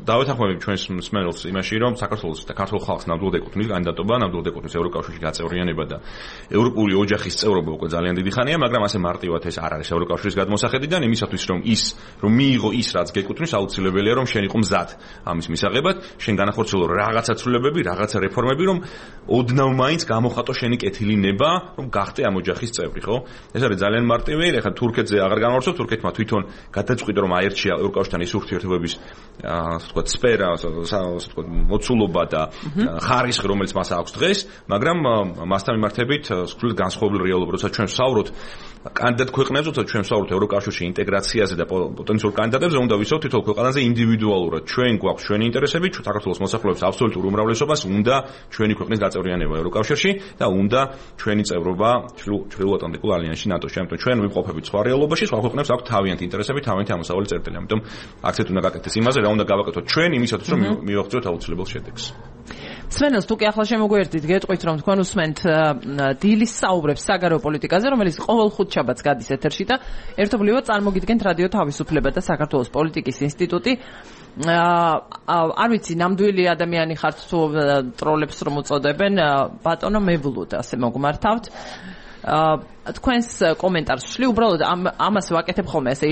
დავეთანხმები ჩვენს მსმენელს იმაში, რომ საქართველოს და ქართულ ხალხს ნამდვილად ეკუთვნის კანდიდატობა, ნამდვილად ეკუთვნის ევროკავშირში გაწევრიანება და ევროპული ოჯახის წევრობა უკვე ძალიან დიდი ხანია, მაგრამ ასე მარტივად ეს არ არის ევროკავშირის გადმოსახედიდან, იმისათვის რომ ის რომ მიიღო ის რაც გეკუთვნის, აუცილებელია რომ შენ იყო მზად ამის მისაღებად, შენ განახორციელო რაღაცა ცვლილებები, რაღაცა რეფორმები, რომ ოდნავ მაინც გამოხატო შენი კეთილი ნება, რომ გახდე ამ ოჯახის წევრი, ხო? ეს არის ძალიან მარტივი, ეხლა თურქეთზე აღარ განვარცხოთ, თურქეთმა თვითონ გადაწყვიტა რომ აერჩია ევროკავშირთან ის ურთიერთობების ასე ვთქვათ სფერა, ასე ვთქვათ მოცულობა და ხარისხი, რომელიც მას აქვს დღეს, მაგრამ მასთან მიმართებით სულ განსხვავებული რეალობა, როცა ჩვენ ვსაუბრობთ კანდიდატ ქვეყნებზე, როცა ჩვენ ვსაუბრობთ ევროკავშირში ინტეგრაციაზე და პოტენციურ კანდიდატებზე, უნდა ვისაუბროთ თითოეულ ქვეყანაზე ინდივიდუალურად. ჩვენ გვაქვს ჩვენი ინტერესები, ჩვენ საქართველოს მოსახლეობის აბსოლუტურ უმრავლესობას უნდა ჩვენი ქვეყნის გაწევრიანება ევროკავშირში და უნდა ჩვენი წევრობა ჩრდილოატლანტიკულ ალიანსში ნატოში. ამიტომ ჩვენ ვიმყოფებით სხვა რეალობაში, სხვა ქვეყნებს აქვს თავიანთი ინტერესები, თავიანთი ამოსავალი წერტილი. ამიტომ აქცენტ უნდა გაკეთდეს იმაზე, რა უნდა გავაკეთოთ ჩვენ იმისათვის, რომ მივაღწიოთ აუცილებელ შედეგს. სმენელს თუ კი ახლა შემოგვიერთდით, გეტყვით რომ თქვენ უსმენთ დილის საუბრებს საგარეო პოლიტიკაზე, რომელიც ყოველ ხუთშაბათს გადის ეთერში და ერთობლივად წარმოგიდგენთ რადიო თავისუფლება და საქართველოს პოლიტიკის ინსტიტუტი. არ ვიცი, ნამდვილი ადამიანი ხართ თუ ტროლებს რომ უწოდებენ, ბატონო მევლოდ ასე მოგმართავთ. თქვენს კომენტარს ვშლი, უბრალოდ ამას ვაკეთებ ხოლმე ასე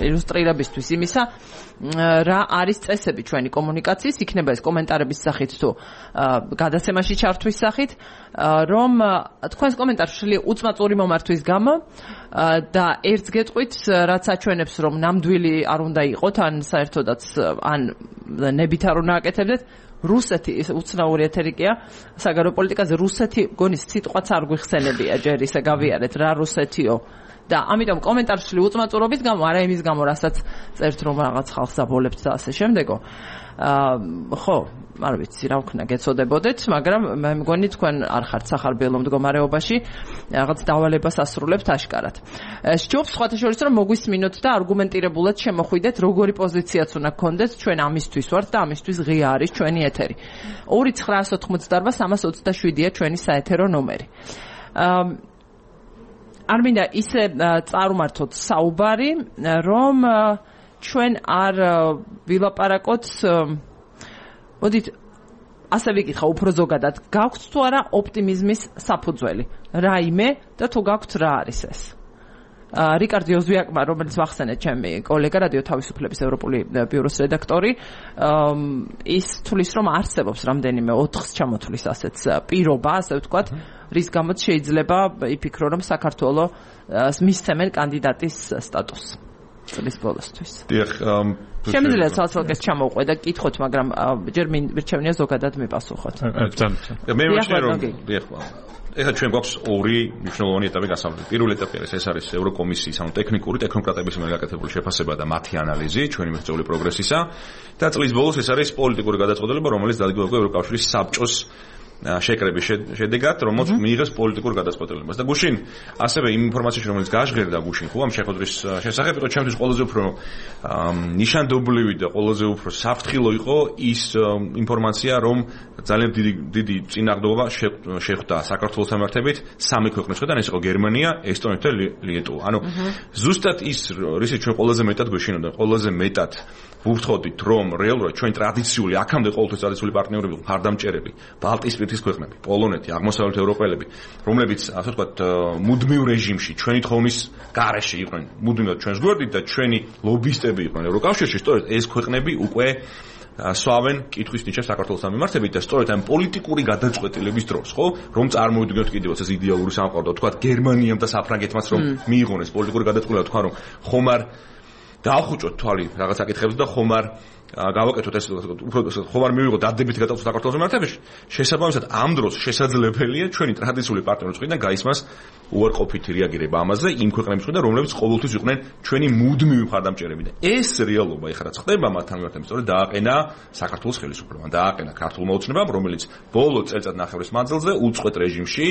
ილუსტრირებისთვის იმისა, რა არის წესები ჩვენი კომუნიკაციის, იქნება ეს კომენტარების სახით თუ გადაცემაში ჩართვის სახით, რომ თქვენს კომენტარს ვშლი უწმაწური მომართვის გამო და ერთს გეტყვით, რაც აჩვენებს, რომ ნამდვილი არ უნდა იყოთ, ან საერთოდაც ან ნებით არ უნდა აკეთებდეთ. რუსეთი უცნაური ეთერიკია საგარეო პოლიტიკაზე, რუსეთი გონის სიტყვაც არ გვიხსენებია ჯერ ისე გავიარეთ რა რუსეთიო და ამიტომ კომენტარში უწმაწურობის გამო, არა იმის გამო, რასაც წერთ რომ რაღაც ხალხს აბოლებთ და ასე შემდეგო. ხო, არ ვიცი რა ვქნა გეცოდებოდეთ, მაგრამ მე მგონი თქვენ არ ხართ სახარბიელო მდგომარეობაში, რაღაც დავალებას ასრულებთ აშკარად. სჯობს სხვათა შორის რომ მოგვისმინოთ და არგუმენტირებულად შემოხვიდეთ, როგორი პოზიციაც უნდა გქონდეთ, ჩვენ ამისთვის ვართ და ამისთვის ღია არის ჩვენი ეთერი. ორი ცხრაას ოთხმოცდაოთხ სამას ოცდაშვიდია ჩვენი საეთერო ნომერი. არ მინდა ისე წარუმართოთ საუბარი, რომ ჩვენ არ ვილაპარაკოთ, მოდით ასე ვიკითხა უფრო ზოგადად, გაქვთ თუ არა ოპტიმიზმის საფუძველი, რაიმე და თუ გაქვთ რა არის ეს? რიკარდ ოზვიაკმა, რომელიც ვახსენეთ ჩემი კოლეგა რადიო თავისუფლების ევროპული ბიუროს რედაქტორი, ის თulis რომ არსებობს რამდენიმე ოთხს ჩამოთვლის ასეთ პირობა, ასე ვთქვათ, რის გამოც შეიძლება იფიქრო რომ საქართველოს მისცემენ კანდიდატის სტატუსს წლის ბოლოსთვის. დიახ, შემიძლია ცალ-ცალკე ჩამოვყვე და კითხოთ, მაგრამ ჯერ მირჩევნია ზოგადად მიპასუხოთ. მე ვაჩნე რომ დიახ, ეხლა ჩვენ გვაქვს ორი მნიშვნელოვანი ეტაპი გასავლით. პირველი ეტაპი არის ეს არის ევროკომისიის ანუ ტექნიკური ტექნოკრატების მიერ გაკეთებული შეფასება და მათი ანალიზი ჩვენი მიღწეული პროგრესისა და წლის ბოლოს ეს არის პოლიტიკური გადაწყვეტილება, რომელიც დადგმდება ევროკავშირის საბჭოს შეკრების შედეგად, რომელიც მიიღებს პოლიტიკურ გადაწყვეტილებას. და გუშინ ასევე იმ ინფორმაციაში, რომელიც გაჟღერდა გუშინ, ხო, ამ შეხვედრის შესახებ, იყო ჩემთვის ყველაზე უფრო ნიშანდობლივი და ყველაზე უფრო საფრთხილო იყო ის ინფორმაცია, რომ ძალიან დიდი დიდი წინააღმდეგობა შეხვდა საქართველოს სამართებით სამი ქვეყნის მხრიდან, ეს იყო გერმანია, ესტონეთი და ლიეტუვა. ანუ ზუსტად ის, რისიც ჩვენ ყველაზე მეტად გვეშინოდა, ყველაზე მეტად ვუფრთხოდით, რომ რეალურად ჩვენ ტრადიციული, აქამდე ყოველთვის ტრადიციული პარტნიორები ვიყავით, მხარდამჭერები, ბალტიისპირეთის ქვეყნები, პოლონეთი, აღმოსავლეთ ევროპელები, რომლებიც, ასე ვთქვათ, მუდმივ რეჟიმში, ჩვენი თხოვნის გარეშე იყვნენ, მუდმივად ჩვენს გვერდით და ჩვენი ლობისტები იყვნენ ევროკავშირში, სწორედ ეს ქვეყნები უკვე სვავენ კითხვის ნიშნებს საქართველოს მიმართებით და სწორედ ამ პოლიტიკური გადაწყვეტილების დროს, ხო, რომ წარმოვიდგინოთ კიდევაც ეს იდეალური სამყარო, თქვათ გერმანიამ და საფრანგეთმაც რომ მიიღონ ეს პოლიტიკური გადაწყვეტილება, თქვა რომ ხომ არ დაახუჭოთ თვალი რაღაც საკითხებს და ხომ არ გავაკეთოთ ეს უფრო ხომ არ მივიღოთ დადებითი გადაწყვეტილება საქართველოს მიმართებაში. შესაბამისად, ამ დროს შესაძლებელია ჩვენი ტრადიციული პარტნიორების მხრიდან გაისმას უარყოფითი რეაგირება ამაზე იმ ქვეყნების მხრიდან, რომლებიც ყოველთვის იყვნენ ჩვენი მუდმივი მხარდამჭერები და ეს რეალობა ეხლა რაც ხდება მათთან მიმართებით, სწორედ დააყენა საქართველოს ხელისუფლებამ, დააყენა ქართულმა ოცნებამ, რომელიც ბოლო წელწადნახევრის მანძილზე უწყვეტ რეჟიმში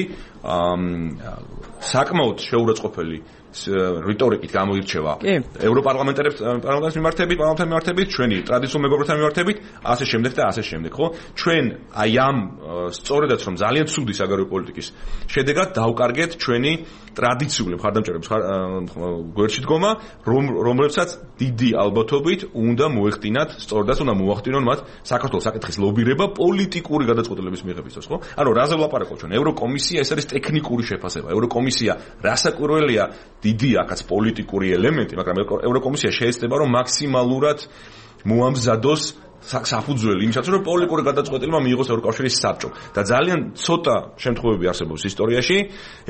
საკმაოდ შეურაცხყოფელი რიტორიკით გამოირჩევა ევროპარლამენტარებს პარლამენტის მიმართებით, პარლამენტთან მიმართებით, ჩვენი ტრადიციულ მეგობრებთან მიმართებით, ასე შემდეგ და ასე შემდეგ, ხო? ჩვენ აი ამ სწორედაც რომ ძალიან ცუდი საგარეო პოლიტიკის შედეგად დავკარგეთ ჩვენი ტრადიციული მხარდამჭერების გვერდში დგომა, რომლებსაც დიდი ალბათობით უნდა მოეხდინათ, სწორედაც უნდა მოახდინონ მათ საქართველოს საკითხის ლობირება პოლიტიკური გადაწყვეტილების მიღების დროს, ხო? ანუ რაზე ვლაპარაკობ ჩვენ? ევროკომისია ეს არის ტექნიკური შეფასება. ევროკომისია რასაკვირველია დიდი აქაც პოლიტიკური ელემენტი, მაგრამ ევროკომისია შეეცდება რომ მაქსიმალურად მოამზადოს საფუძველი იმისათვის რომ პოლიტიკური გადაწყვეტილება მიიღოს ევროკავშირის საბჭო და ძალიან ცოტა შემთხვევები არსებობს ისტორიაში,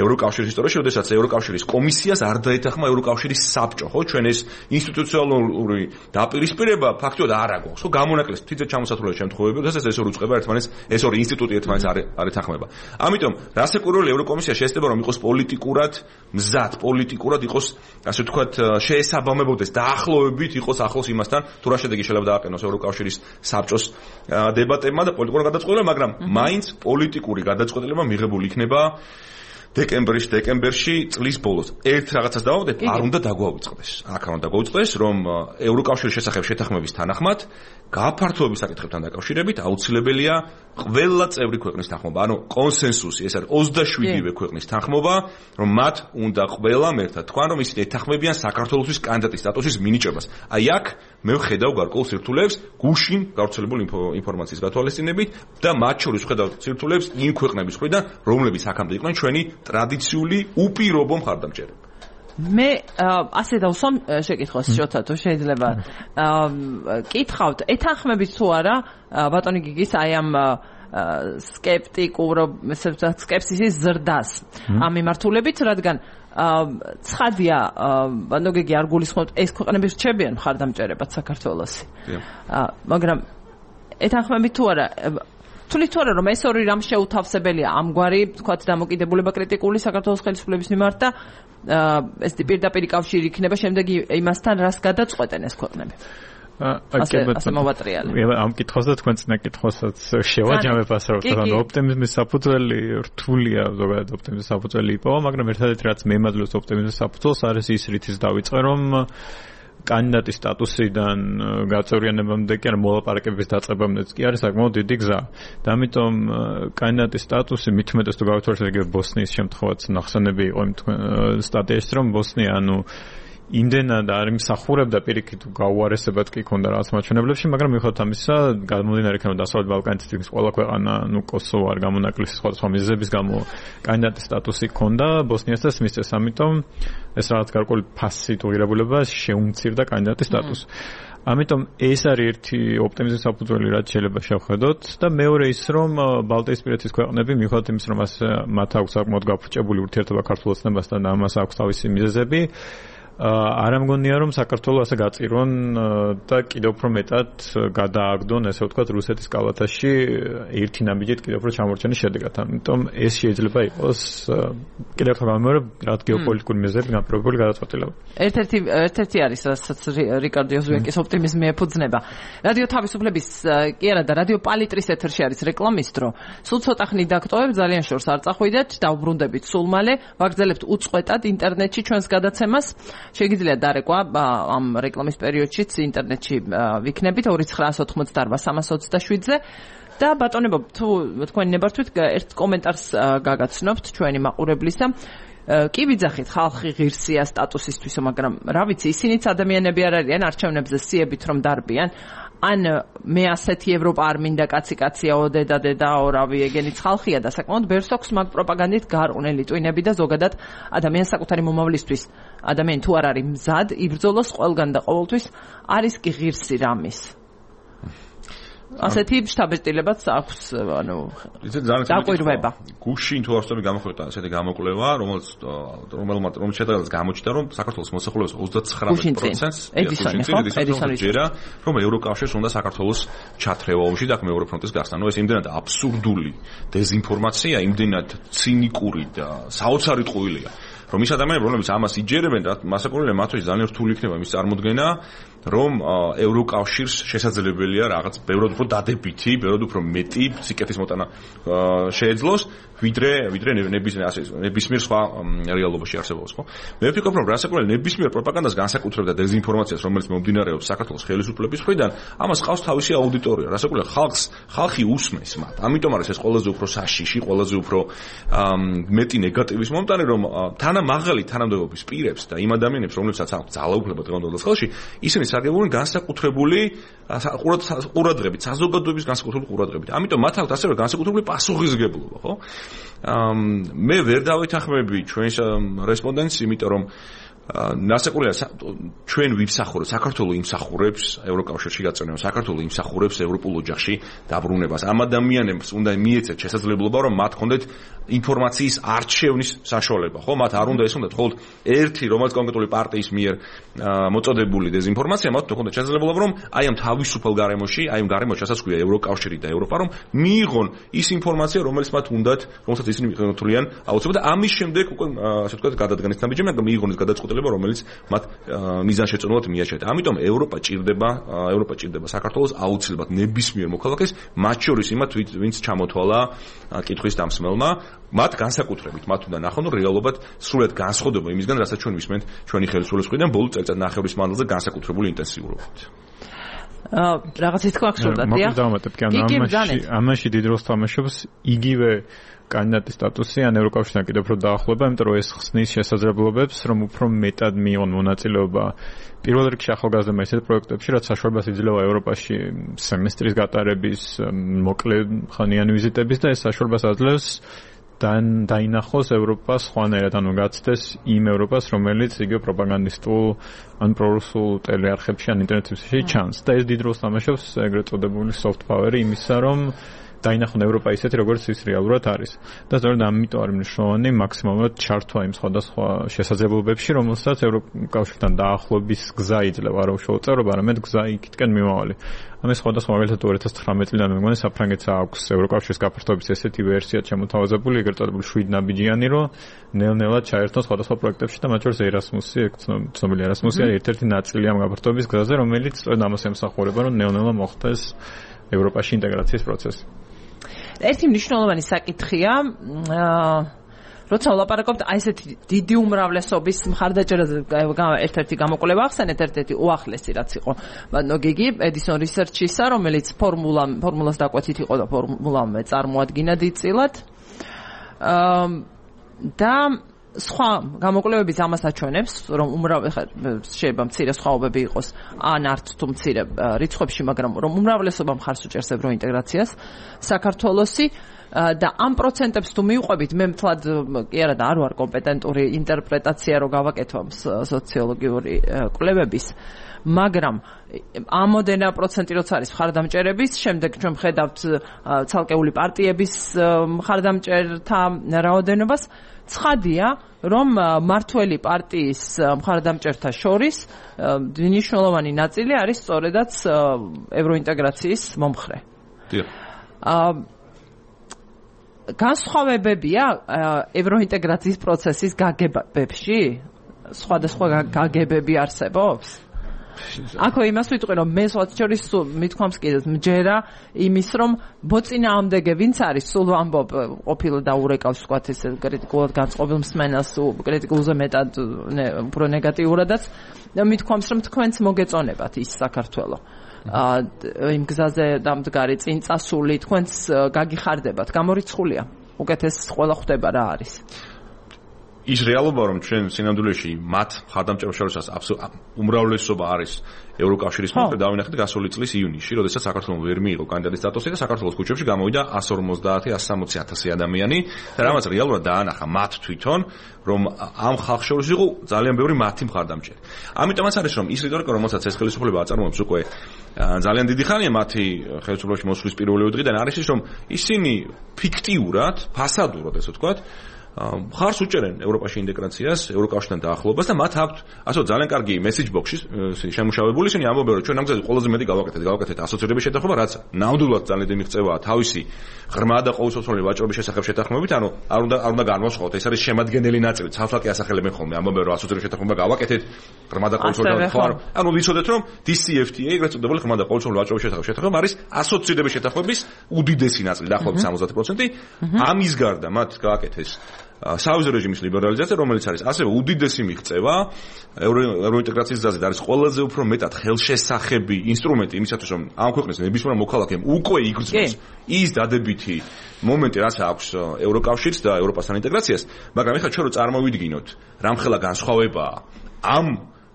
ევროკავშირის ისტორიაში, როდესაც ევროკავშირის კომისიას არ დაეთანხმა ევროკავშირის საბჭო, ხო, ჩვენ ეს ინსტიტუციონალური დაპირისპირება ფაქტობრივად არ აქვს, ხო, გამონაკლეს თითქოს ჩამოსათვლელი შემთხვევები, როდესაც ეს ორი უწყება ერთმანეთს, ეს ორი ინსტიტუტი ერთმანეთს არ არ ეთანხმება. ამიტომ რასაკვირველი ევროკომისია შეეცდება რომ იყოს პოლიტიკურად მზად, პოლიტიკურად იყოს, ასე ვთქვათ, შეესაბამებოდეს დაახლოებით იყოს ახლოს იმასთან, თუ რა შედეგი შეიძლება დააყენოს ევროკავშირის საბჭოს დებატებმა და პოლიტიკურ გადაწყვეტილებამ, მაგრამ მაინც პოლიტიკური გადაწყვეტილება მიღებული იქნება დეკემბრის დეკემბერში წლის ბოლოს. ერთ რაღაცას დავავდეთ, არ უნდა დაგვაუწყდეს. აქ არ უნდა დაგვაუწყდეს, რომ ევროკავშირის შესახებ შეთანხმების თანახმად გაფართოების საკითხებთან დაკავშირებით აუცილებელია ყველა წევრი ქვეყნის თანხმობა. ანუ კონსენსუსი, ეს არის ოცდაშვიდივე ქვეყნის თანხმობა, რომ მათ უნდა ყველამ ერთად თქვან, რომ ისინი ეთანხმებიან საქართველოსთვის კანდიდატის სტატუსის მინიჭებას. აი აქ მე ვხედავ გარკვეულ სირთულეებს გუშინ გავრცელებული ინფორმაციის გათვალისწინებით და მათ შორის ვხედავ სირთულეებს იმ ქვეყნების მხრიდან, რომლებიც აქამდე იყვნენ ჩვენი ტრადიციული უპირობო მხარდამჭერები. მე ასე დავსვამ შეკითხვას შოთა თუ შეიძლება კითხავთ ეთანხმებით თუ არა ბატონი გიგის აი ამ სკეპტიკურ სკეპსისის ზრდას ამ მიმართულებით, რადგან ცხადია ბატონო გიგი არ გულისხმობთ ეს ქვეყნები რჩებიან მხარდამჭერებად საქართველოსი, მაგრამ ეთანხმებით თუ არა თulis თუ არა რომ ეს ორი რამ შეუთავსებელია ამგვარი თქვათ დამოკიდებულება კრიტიკული საქართველოს ხელისუფლების მიმართ და ეს პირდაპირ კავშირი იქნება შემდეგ იმასთან რას გადაწყვეტენ ეს ქვეყნები. ასე ასე მოვატრიალე. ამ კითხვას და თქვენ წინა კითხვასაც შევაჯამებ ასე რომ თქო ოპტიმიზმის საფუძველი რთულია ზოგადად ოპტიმიზმის საფუძველი იპოვა, მაგრამ ერთადერთი რაც მემაძლევს ოპტიმიზმის საფუძველს არის ის რითიც დავიწყე რომ კანდიდატის სტატუსიდან გაწევრიანებამდე კი არა მოლაპარაკების დაწყებამდეც კი არის საკმაოდ დიდი გზა. და ამიტომ კანდიდატის სტატუსი მithumetes თუ გავთვალისწინებთ ბოსნიის შემთხვევაც ნახსენები იყო იმ სტატიაში რომ ბოსნია ანუ იმდენად არ იმსახურებდა პირიქით გაუარესებად კი ქონდა რაღაც მაჩვენებლებში, მაგრამ მიუხედავად ამისა, გამომდინარე იქნება დასავლეთ ბალკანეთის ყველა ქვეყანა, ნუ კოსოვო არ გამონაკლისი სხვადასხვა მიზეზების გამო კანდიდატის სტატუსი ქონდა ბოსნიასაც მისცეს, ამიტომ ეს რაღაც გარკვეული ფასით უღირებულება შეუმცირდა კანდიდატის სტატუსს. ამიტომ ეს არის ერთი ოპტიმიზმის საფუძველი, რაც შეიძლება შევხედოთ და მეორე ის, რომ ბალტიისპირეთის ქვეყნები მიუხედავად იმის, რომ მათ აქვს საკმაოდ გაფრჭებული ურთიერთობა ქართულ ოცნებასთან და ამას აქვს თავისი მიზეზები, არ ამგონია რომ საქართველოს ასე გაწირონ და კიდევ უფრო მეტად გადააგდონ, ესე ვთქვათ, რუსეთის კალათაში ერთი ნაბიჯით კიდევ უფრო ჩამორჩენის შედეგად. ამიტომ ეს შეიძლება იყოს კიდევ ერთხელ გამიმეორებ, რაც გეოპოლიტიკური მიზეზებით განპირობებული გადაწყვეტილება. ერთ-ერთი ერთ-ერთი არის, რასაც რიკარდო ოზვიაკის ოპტიმიზმი ეფუძნება. რადიო თავისუფლების კი არა და რადიო პალიტრის ეთერში არის რეკლამისტრო. სულ ცოტა ხნით დაგტოვებ, ძალიან შორს არ წახვიდეთ, დავბრუნდებით სულ მალე, ვაგრძელებთ უწყვეტად ინტერნეტში ჩვენს გადაცემას. შეგიძლიათ დარეკვა ამ რეკლამის პერიოდშიც ინტერნეტში ვიქნებით ორი ცხრა ოთხმოცდაარბა სამას ოცდაშვიდზე და ბატონებო თუ თქვენი ნებართვით ერთ კომენტარს გაგაცნობთ ჩვენი მაყურებლისა. კი ვიძახით, ხალხი ღირსია სტატუსისთვისო, მაგრამ რა ვიცი, ისინიც ადამიანები არ არიან არჩევნებზე სიებით რომ დარბიან. ან მე ასეთი ევროპა არ მინდა კაცი კაციაო დედა დედაო რავი ეგენიც ხალხია და საკმაოდ ბევრს აქვს მაგ პროპაგანდით გარყვნილი ტვინები და ზოგადად ადამიანის საკუთარი მომავლისთვის ადამიანი თუ არ არის მზად იბრძოლოს ყველგან და ყოველთვის არის კი ღირსი რამის. ასეთი შთაბეჭდილებაც აქვს, ანუ დაკვირვება. გუშინ თუ არსებობი გამოხატა ასეთი გამოკვლევა, რომელიც რომელმაც რომელიც შედეგადაც გამოჩნდა, რომ საქართველოს მოსახლეობის ოცდაცხრამეტ პროცენტს ედისონი ჯერა, რომ ევროკავშირს უნდა საქართველოს ჩათრევა ომში და მეორე ფრონტის გახსნა. ნუ ეს იმდენად აბსურდული დეზინფორმაცია, იმდენად ცინიკური და საოცარი ტყუილია, რომ ის ადამიანები, რომლებიც ამას იჯერებენ, მასაკურნელია მათთვის ძალიან რთული იქნება მის წარმოქმნა, რომ ევროკავშირს შესაძლებელია რაღაც ბევრად უფრო დადებითი, ბევრად უფრო მეტი სიკეთის მოტანა შეეძლოს, ვიდრე ვიდრე ნებისმიერ სხვა რეალობაში არსებობს, ხო? მე ვფიქრობ, რომ რასაკურნელი ნებისმიერ პროპაგანდას განსაკუთრებით და დეზინფორმაციას, რომელიც მომდინარეობს საქართველოს ხელისუფლების მხრიდან, ამას ყავს თავისი აუდიტორია. რასაკურნელი ხალხს, ხალხი უსმენს მათ. ამიტომ არის ეს ყველაზე უფრო საშიში, ყველაზე უფრო მეტი ნეგატივის მომტანი, რომ თანამაღალი თანამდებობის პირებს და იმ ადამიანებს, რომლებსაც აქვს ძალაუფლება დღევანდელ ხელში, ისინი საგებულენ განსაკუთრებული ყურადღებით, საზოგადოების განსაკუთრებული ყურადღებით. ამიტომ მათ აქვს ასევე განსაკუთრებული პასუხისმგებლობა, ხო? მე ვერ დავეთანხმები ჩვენს რესპონდენტს, იმიტომ რომ ნასაკურია ჩვენ ვიმსახურებთ, საქართველოს იმსახურებს ევროკავშირში გაწევრება, საქართველოს იმსახურებს ევროპულ ოჯახში დაბრუნებას. ამ ადამიანებს უნდა მიეცეთ შესაძლებლობა, რომ მათ ჰქონდეთ ინფორმაციის არჩევნის საშუალება, ხო? მათ არ უნდა ეს უნდა თქო ერთი რომელიც კონკრეტული პარტიის მიერ მოწოდებული დეზინფორმაცია, მათ ჰქონდეთ შესაძლებლობა, რომ აი ამ თავისუფალ გარემოში, აი ამ გარემოში, რასაც ქვია ევროკავშირი და ევროპა, რომ მიიღონ ის ინფორმაცია, რომელიც მათ უნდათ, რომელსაც ისინი მიღებენ აუცილებლად და ამის შემდეგ უკვე ასე ვთქვათ, გადადგანის ნაბიჯები, მაგრამ მიიღონ ეს გადაწყვეტილება, რომელიც მათ მიზანშეწონილად მიაჩნდათ. ამიტომ ევროპა ჭირდება, ევროპა ჭირდება საქართველოს აუცილებლად ნებისმიერ მოქალაქეს, მათ შორის იმათ, ვინც ჩამოთვალა კითხვის დამსმელმა, მათ განსაკუთრებით, მათ უნდა ნახონ, რომ რეალობად სრულად განსხვავდება იმისგან, რასაც ჩვენ ვისმენთ ჩვენი ხელისუფლების მხრიდან ბოლო წელიწადნახევრის მანძილზე განსაკუთრებული ინტენსიურობით. აა რაღაცის თქვა ხსოვდა, დიახ. მოკლედ დავამატებ, კი ანუ ამაში ამაში დიდ როლს თამაშობს იგივე კანდიდატის სტატუსი ან ევროკავშირთან კიდევ უფრო დაახლოება, იმიტომ რომ ეს ხსნის შესაძლებლობებს, რომ უფრო მეტად მიიღონ მონაწილეობა პირველ რიგში ახალგაზრდებმა ისეთ პროექტებში, რაც საშუალებას იძლევა ევროპაში სემესტრის გატარების, მოკლე ხანიანი ვიზიტების და ეს საშუალებას აძლევს დაინახოს ევროპა სხვანაირად, ანუ გაცდეს იმ ევროპას, რომელიც იგივე პროპაგანდისტულ ან პრორუსულ ტელეარხებში ან ინტერნეტებში ჩანს. და ეს დიდ როლს თამაშობს ეგრეთ წოდებული soft power-ი იმისა, რომ დაინახონ ევროპა ისეთი, როგორც ის რეალურად არის. და სწორედ ამიტომ არის მნიშვნელოვანი მაქსიმალურად ჩართვა იმ სხვადასხვა შესაძლებლობებში, რომელსაც ევროკავშირთან დაახლოების გზა იძლევა, არა უშუალოდ წევრობა, არამედ გზა იქითკენ მიმავალი. ამის სხვადასხვა მაგალითად two thousand nineteen წლიდან მე მგონი საფრანგეთს აქვს ევროკავშირის გაფართოების ესეთი ვერსია შემოთავაზებული, ეგრეთ წოდებული შვიდ ნაბიჯიანი, რომ ნელ-ნელად ჩაერთონ სხვადასხვა პროექტებში და მათ შორის ერასმუსი, ცნობილი ერასმუსი არის ერთ-ერთი ნაწილი ამ გაფართოების გზაზე, რომელიც სწორედ ამას ემსახურება, რომ ნელ-ნელა მოხდეს ევროპაში ინტეგრაციის პროცესი. ერთი მნიშვნელოვანი საკითხია, როცა ვლაპარაკობთ აი ესეთი დიდი უმრავლესობის მხარდაჭერაზე, ერთ-ერთი გამოკვლევა ახსენეთ, ერთ-ერთი უახლესი რაც იყო ნოგიგი Edison Research-ისა, რომელიც ფორმულა ფორმულას დაკვეთით იყო და ფორმულამ წარმოადგინა დიდწილად. და სხვა გამოკვლევებიც ამას აჩვენებს, რომ უმრავი შეიძლება მცირე სხვაობები იყოს, ან არც თუ მცირე რიცხვებში, მაგრამ რომ უმრავლესობა მხარს უჭერს ევროინტეგრაციას, საქართველოსი და ამ პროცენტებს თუ მივყვებით, მე მთლად კი არა და არ ვარ კომპეტენტური ინტერპრეტაცია რო გავაკეთო სოციოლოგიური კვლევების, მაგრამ ამოდენა პროცენტი როცა არის მხარდამჭერების, შემდეგ ჩვენ ვხედავთ ცალკეული პარტიების მხარდამჭერთა რაოდენობას, ცხადია, რომ მართველი პარტიის მხარდამჭერთა შორის მნიშვნელოვანი ნაწილი არის სწორედაც ევროინტეგრაციის მომხრე. დიახ. განსხვავებებია ევროინტეგრაციის პროცესის გაგებებში? სხვადასხვა გაგებები არსებობს? აქ იმას ვიტყვი, რომ მე სხვათა შორის მithქვამს კიდეც მჯერა იმის, რომ ბოწინააღმდეგე ვინც არის, სულ ვამბობ ყოფილი და ურეკავს ვთქვათ ესე კრიტიკულად განწყობილ მსმენელს, კრიტიკულზე მეტად უფრო ნეგატიურადაც, მithქვამს, რომ თქვენც მოგეწონებათ ის საქართველო. იმ გზაზე დამდგარი წინ წასული თქვენც გაგიხარდებათ, გამორიცხულია. უკეთეს ყველა ხვდება რა არის. ის რეალობა, რომ ჩვენ სინამდვილეში მათ მხარდამჭერებს შორის უმრავლესობა არის ევროკავშირის მომხრე, დავინახეთ გასული წლის ივნისში, როდესაც საქართველოს ვერ მიიღო კანდიდატის სტატუსი და საქართველოს ქუჩებში გამოვიდა εκατს ორმოცდაათი - εκατს სამოცი ათასი ადამიანი და რამაც რეალურად დაანახა მათ თვითონ, რომ ამ ხალხს შორის იყო ძალიან ბევრი მათი მხარდამჭერი. ამიტომაც არის, რომ ის რიტორიკა, რომელსაც ეს ხელისუფლება აწარმოებს უკვე ძალიან დიდი ხანია მათი ხელისუფლებაში მოსვლის პირველივე დღიდან, არის ის, რომ ისინი ფიქტიურად, ფასადურად, ესე ვთქვათ, მხარს უჭერენ ევროპაში ინტეგრაციას, ევროკავშირთან დაახლოებას და მათ აქვთ ასე ძალიან კარგი message box-ში შემუშავებული, ისინი ამბობენ, რომ ჩვენ ამ გზაზე ყველაზე მეტი გავაკეთეთ, გავაკეთეთ ასოცირების შეთანხმება, რაც ნამდვილად ძალიან დიდი მიღწევაა თავისი ღრმა და ყოველწლიური ვაჭრობის შესახებ შეთანხმებით, ანუ არ უნდა არ უნდა განვასხვაოთ, ეს არის შემადგენელი ნაწილი, ცალ-ცალკე ასახელებენ ხოლმე, ამბობენ, რომ ასოცირების შეთანხმება გავაკეთეთ, ღრმა და ყოველწლიური ხო, ანუ ვიცოდეთ, რომ დი სი ეფ ტი, ეგრეთ წოდებული ღრმა და ყოველწლიური ვაჭრობის შესახებ შეთანხმება არის ასოცირების შეთანხმების უდიდესი ნაწილი, დაახლოებით სამოცდაათი პროცენტი, ამის გარდა მათ გააკეთეს სავიზო რეჟიმის ლიბერალიზაცია, რომელიც არის ასევე უდიდესი მიღწევა ევროინტეგრაციის გზაზე და არის ყველაზე უფრო მეტად ხელშესახები ინსტრუმენტი იმისათვის, რომ ამ ქვეყნის ნებისმიერ მოქალაქემ უკვე იგრძნოს ის დადებითი მომენტი, რაც აქვს ევროკავშირს და ევროპასთან ინტეგრაციას, მაგრამ ეხლა ჩვენ რო წარმოვიდგინოთ, რამხელა განსხვავებაა ამ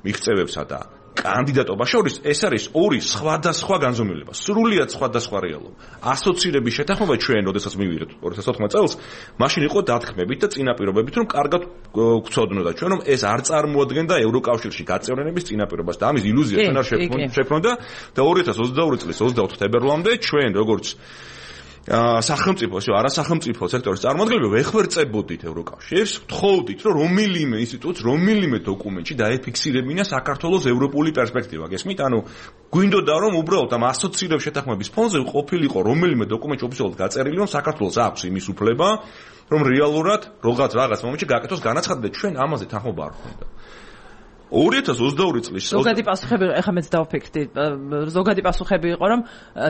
მიღწევებსა და კანდიდატობა შორის, ეს არის ორი სხვადასხვა განზომილება, სრულიად სხვადასხვა რეალობა. ასოცირების შეთანხმება ჩვენ, როდესაც მივიღეთ ორი ათას ოთხმოცდაათი წელს, მაშინ იყო დათქმებით და წინაპირობებით, რომ კარგად გვცოდნოდა ჩვენ, რომ ეს არ წარმოადგენდა ევროკავშირში გაწევრიანების წინაპირობას და ამის ილუზია ჩვენ არ შექმნოდა და ორი ათას ოცდაორი წლის ოცდაოთხ თებერვლამდე ჩვენ, როგორც სახელმწიფო, ისე არასახელმწიფო სექტორის წარმომადგენლები ვეხვერწებოდით ევროკავშირს, ვთხოვდით, რომ რომელიმე ინსტიტუტს, რომელიმე დოკუმენტში დაეფიქსირებინა საქართველოს ევროპული პერსპექტივა. გესმით? ანუ გვინდოდა რომ უბრალოდ ამ ასოცირების შეთანხმების ფონზე ყოფილიყო რომელიმე დოკუმენტში ოფიციალურად გაწერილი, რომ საქართველოს აქვს იმის უფლება, რომ რეალურად რაღაც რაღაც მომენტში გააკეთოს განაცხადი და ჩვენ ამაზე თანხმობა არ გვქონდა. ორი ათას ოცდაორი წლის ზოგადი პასუხები, ეხლა მეც დავფიქრდი, ზოგადი პასუხები იყო, რომ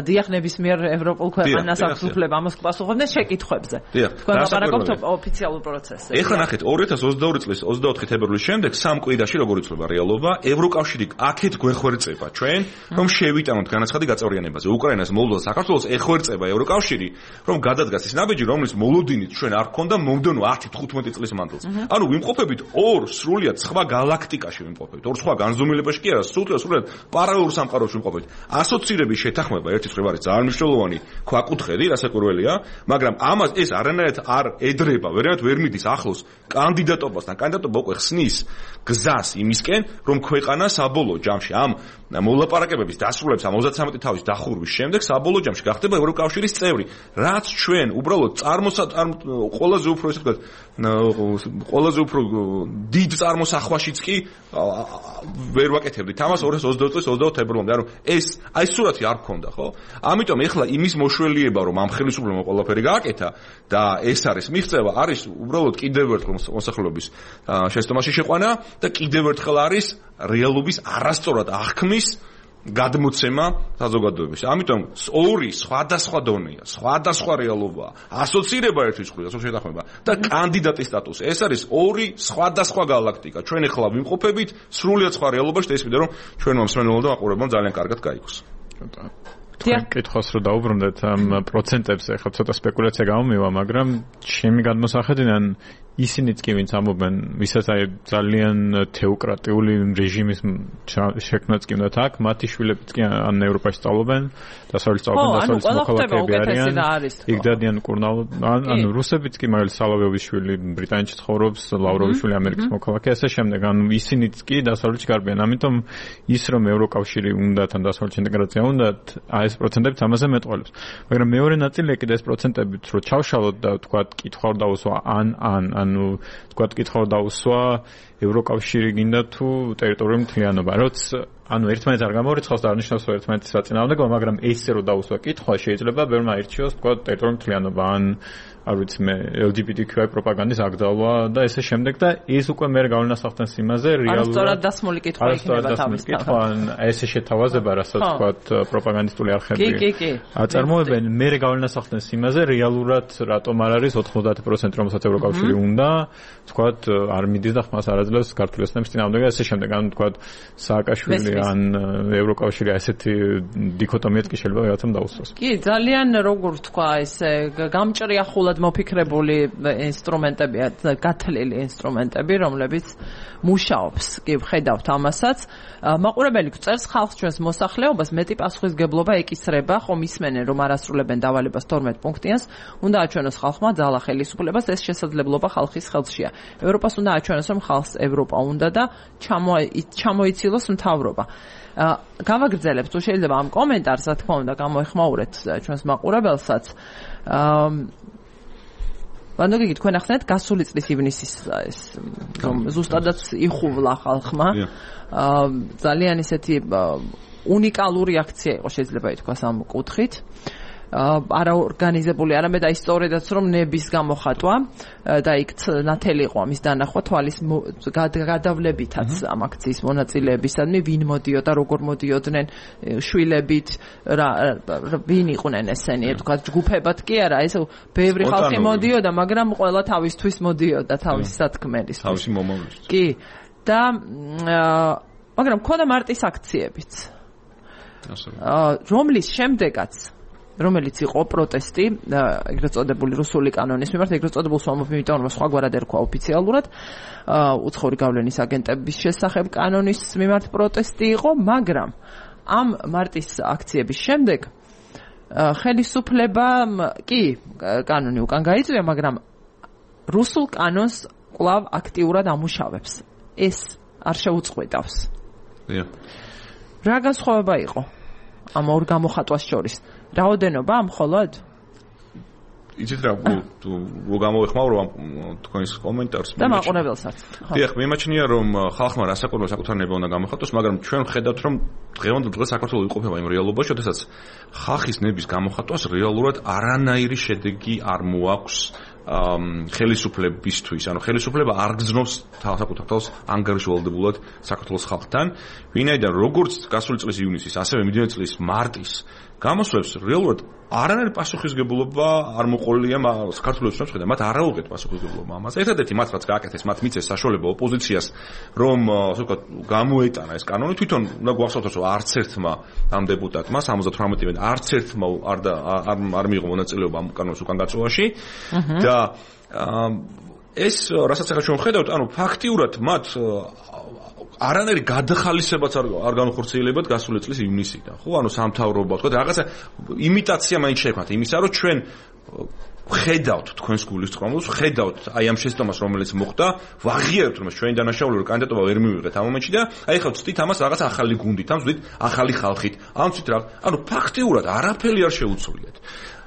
დიახ ნებისმიერ ევროპულ ქვეყანას აქვს უფლება ამას პასუხობდნენ შეკითხვებზე. თქვენ ლაპარაკობთ ოფიციალურ პროცესზე. ეხლა ნახეთ, ორი ათას ოცდაორი წლის ოცდაოთხი თებერვლის შემდეგ სამ კვირაში როგორ იცვლება რეალობა, ევროკავშირი აქეთ გვეხვერწება ჩვენ, რომ შევიტანოთ განაცხადი გაწევრიანებაზე. უკრაინას, მოლდოვას, საქართველოს ეხვერწება ევროკავშირი, რომ გადადგას ის ნაბიჯი, რომლის მოლოდინით ჩვენ არ გქონდა მომდევნო ათი თხუთმეტი წლის მანძილზე. ანუ ვიმყოფებით ორ სრულიად სხვა გალაქტიკაში ვიმყოფებით. ორ სხვა განზომილებაში კი არა, სულ სრულიად პარალელურ სამყაროში ვიმყოფებით. ასოცირების შეთანხმება ერთი მხრივ არის ძალიან მნიშვნელოვანი ქვაკუთხედი, რასაკვირველია, მაგრამ ამას ეს არანაირად არ ედრება, ვერანაირად ვერ მიდის ახლოს კანდიდატობასთან. კანდიდატობა უკვე ხსნის გზას იმისკენ, რომ ქვეყანა საბოლოო ჯამში ამ მოლაპარაკებების დასრულების ამ ოცდათვრამეტი თავის დახურვის შემდეგ საბოლოო ჯამში გახდება ევროკავშირის წევრი, რაც ჩვენ უბრალოდ წარმოსატარ ყველაზე უფრო ესე ვთქვათ, ყველაზე უფრო დიდ წარმოსახვაშიც კი ვერ ვაკეთებდით ამას ორი ათას ოცდაოთხ წლის ოცდაოთხ თებერვლამდე. ანუ ეს აი სურათი არ გქონდა, ხო? ამიტომ ეხლა იმის მოშველიება, რომ ამ ხელისუფლებამ ყველაფერი გააკეთა და ეს არის მიღწევა, არის უბრალოდ კიდევ ერთხელ მოსახლეობის შეცდომაში შეყვანა და კიდევ ერთხელ არის რეალობის არასწორად აღქმის გადმოცემა საზოგადოებაში. ამიტომ ორი სხვადასხვა დონეა, სხვადასხვა რეალობაა. ასოცირება ერთის მხრივ, ასოცირების შეთანხმება და კანდიდატის სტატუსი. ეს არის ორი სხვადასხვა გალაქტიკა. ჩვენ ახლა ვიმყოფებით სრულიად სხვა რეალობაში და ის მინდა რომ ჩვენმა მსმენელმა და მაყურებელმა ძალიან კარგად გაიგოს. თქვენ კითხავს რომ დაუბრუნდეთ ამ პროცენტებზე, ახლა ცოტა სპეკულაცია გამომივა, მაგრამ ჩემი გადმოსახედიდან ისინიც კი ვინც ამობენ, ვისაც აი ძალიან თეოკრატიული რეჟიმის შექმნაც კი უნდათ აქ, მათი შვილებიც კი ან ევროპაში სწავლობენ, დასავლეთ სწავლობენ, დასავლეთ მოქალაქეები არიან. იქ დადიან კურნალ, ან რუსებიც კი მაგალითად სალავიოვის შვილი ბრიტანეთში ცხოვრობს, ლავროვის შვილი ამერიკის მოქალაქე, ასე შემდეგ. ანუ ისინიც კი დასავლეთში გარბიან. ამიტომ ის რომ ევროკავშირი უნდათ ან დასავლეთში ინტეგრაცია უნდათ, აი ეს პროცენტებიც ამაზე მეტყველებს. მაგრამ მეორე ნაწილია კიდე ეს პროცენტებიც, რომ ჩავშალოთ და თქვათ კითხვა დაუსვა ან ან ანუ თქვათ კითხვა დაუსვა ევროკავშირი გინდა თუ ტერიტორიული მთლიანობა. როც ანუ ერთმანეთს არ გამორიცხავს და არნიშნავს რომ ერთმანეთის საწინააღმდეგოა, მაგრამ ესე რომ დაუსვა კითხვა შეიძლება ბევრმა აირჩიოს თქვათ ტერიტორიული მთლიანობა ან არ ვიცი მე ელ ჯი ბი ტი კიუ აი პროპაგანდის აკრძალვა და ესე შემდეგ და ეს უკვე მე გავლენას ახდენს იმაზე რეალურად არასწორად დასმული კითხვა იქნება თავის კითხვა ან ესე შეთავაზება რასაც თქვათ პროპაგანდისტული არხები კი კი კი აწარმოებენ მე გავლენას ახდენს იმაზე რეალურად რატომ არ არის ოთხმოცდაათი პროცენტი რომელსაც ევროკავშირი უნდა თქვათ არ მიდის და ხმას არ აძლევს ქართული ოცნების წინააღმდეგ და ესე შემდეგ ანუ თქვათ სააკაშვილი ან ევროკავშირი ასეთი დიქოტომიაც კი შეიძლება რაღაცამ დაუსვას კი ძალიან როგორ თქვა ესე გამჭრიახულად მოფიქრებული ინსტრუმენტებია, გათლილი ინსტრუმენტები, რომლებიც მუშაობს. კი ვხედავთ ამასაც. მაყურებელი გწერს ხალხს ჩვენს მოსახლეობას მეტი პასუხისგებლობა ეკისრება, ხომ ისმენენ რომ არ ასრულებენ დავალებას თორმეტ პუნქტიანს, უნდა აჩვენოს ხალხმა ძალა ხელისუფლებას, ეს შესაძლებლობა ხალხის ხელშია. ევროპას უნდა აჩვენოს რომ ხალხს ევროპა უნდა და ჩამოიცილოს მთავრობა. გავაგრძელებთ თუ შეიძლება ამ კომენტარს, რა თქმა უნდა, გამოეხმაურეთ ჩვენს მაყურებელსაც. ვანდოგი თქვენ ახსენეთ გასული წლის ივნისის ეს რომ ზუსტადაც იხუვლა ხალხმა ძალიან ისეთი უნიკალური აქცია იყო შეიძლება ითქვას ამ კუთხით არაორგანიზებული არამედ აი სწორედაც რომ ნების გამოხატვა და იქ ნათელი იყო ამის დანახვა თვალის გადავლებითაც ამ აქციის მონაწილეებისადმი ვინ მოდიოდა როგორ მოდიოდნენ შვილებით რა ვინ იყვნენ ესენი თქვა ჯგუფებად კი არა ეს ბევრი ხალხი მოდიოდა მაგრამ ყველა თავისთვის მოდიოდა თავის სათქმელის თავისი მომავლის კი და მაგრამ ქონდა მარტის აქციებიც რომლის შემდეგაც რომელიც იყო პროტესტი, ეგრეთ წოდებული რუსული კანონის მიმართ, ეგრეთ წოდებულ სვამობ, იმიტომ რომ სხვაგვარად ერქვა ოფიციალურად, უცხოური გავლენის აგენტების შესახებ კანონის მიმართ პროტესტი იყო, მაგრამ ამ მარტის აქციების შემდეგ ხელისუფლებამ კი კანონი უკან გაიწვია, მაგრამ რუსულ კანონს კვლავ აქტიურად ამუშავებს. ეს არ შეუწყვეტავს. რა განსხვავება იყო ამ ორ გამოხატვას შორის? რაოდენობა მხოლოდ? იცით რა, თუ რო გამოეხმაურო ამ თქვენს კომენტარს და მაყურებელსაც. დიახ, მიმაჩნია რომ ხალხმა რასაკვირველო საკუთარნება უნდა გამოხატოს, მაგრამ ჩვენ ვხედავთ რომ დღევანდელ დღეს საქართველოს იყოფება იმ რეალობაში, შესაძაც ხალხის ნების გამოხატვას რეალურად არანაირი შედეგი არ მოაქვს ხელისუფლებისთვის, ანუ ხელისუფლება არ გზნობს საკუთარ თავს ანგარიშვალდებულად საქართველოს ხალხთან, ვინაიდან როგორც გასული წლის ივნისის, ასევე მიდიოდი წლის მარტის გამოსვლებს რეალურად არანაირი პასუხისგებლობა არ მოყოლია საქართველოს ოცნებისგან, მათ არ აუღეთ პასუხისგებლობა ამას. ერთადერთი მათ რაც გააკეთეს, მათ მიცეს საშუალება ოპოზიციას, რომ ასე ვთქვათ, გამოეტანა ეს კანონი, თვითონ უნდა გვახსოვდეს, რომ არც ერთმა ამ დეპუტატმა სამოცდათვრამეტი არც ერთმა არ არ არ მიიღო მონაწილეობა ამ კანონის უკან გაწვევაში და ეს რასაც ახლა ჩვენ ვხედავთ, ანუ ფაქტიურად მათ არანაირი გადახალისებაც არ არ განხორციელებათ გასული წლის ივნისიდან. ხო, ანუ სამთავრობა, თქო, რაღაცა იმიტაცია მაინც შექმნათ იმისა, რომ ჩვენ ხედავთ თქვენს გულისწყრომლს, ხედავთ აი ამ შეცდომას, რომელიც მოხდა, ვაღიარებთ რომ ჩვენი დანაშაული კანდიდატობა ვერ მივიღეთ ამ მომენტში და აი ხა ვწდით ამას რაღაც ახალი გუნდით, ამ ვწდით ახალი ხალხით. ამ ვწდით რა, ანუ ფაქტიურად არაფერი არ შეუცვლიათ.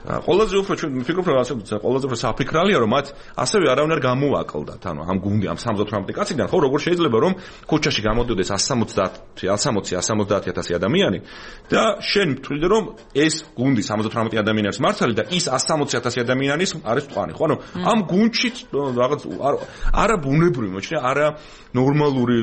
ყველაზე უფრო ჩვენ ვფიქრობ რომ ასე ყველაზე უფრო საფიქრალია რომ მათ ასევე არავინ არ გამოაკლდათ ანუ ამ გუნდი ამ სამოცდათვრამეტი კაციდან ხო როგორ შეიძლება რომ ქუჩაში გამოდიოდეს εκατსამოცდაათი εκατსამოცდაათი ათასი ადამიანი და შენ მთვლიდე რომ ეს გუნდი სამოცდათვრამეტი ადამიანის მართალი და ის εκατსამოცი ათასი ადამიანის არის თქვენი ხო ანუ ამ გუნდში რაღაც არა ბუნებრივი მოჩნია არა ნორმალური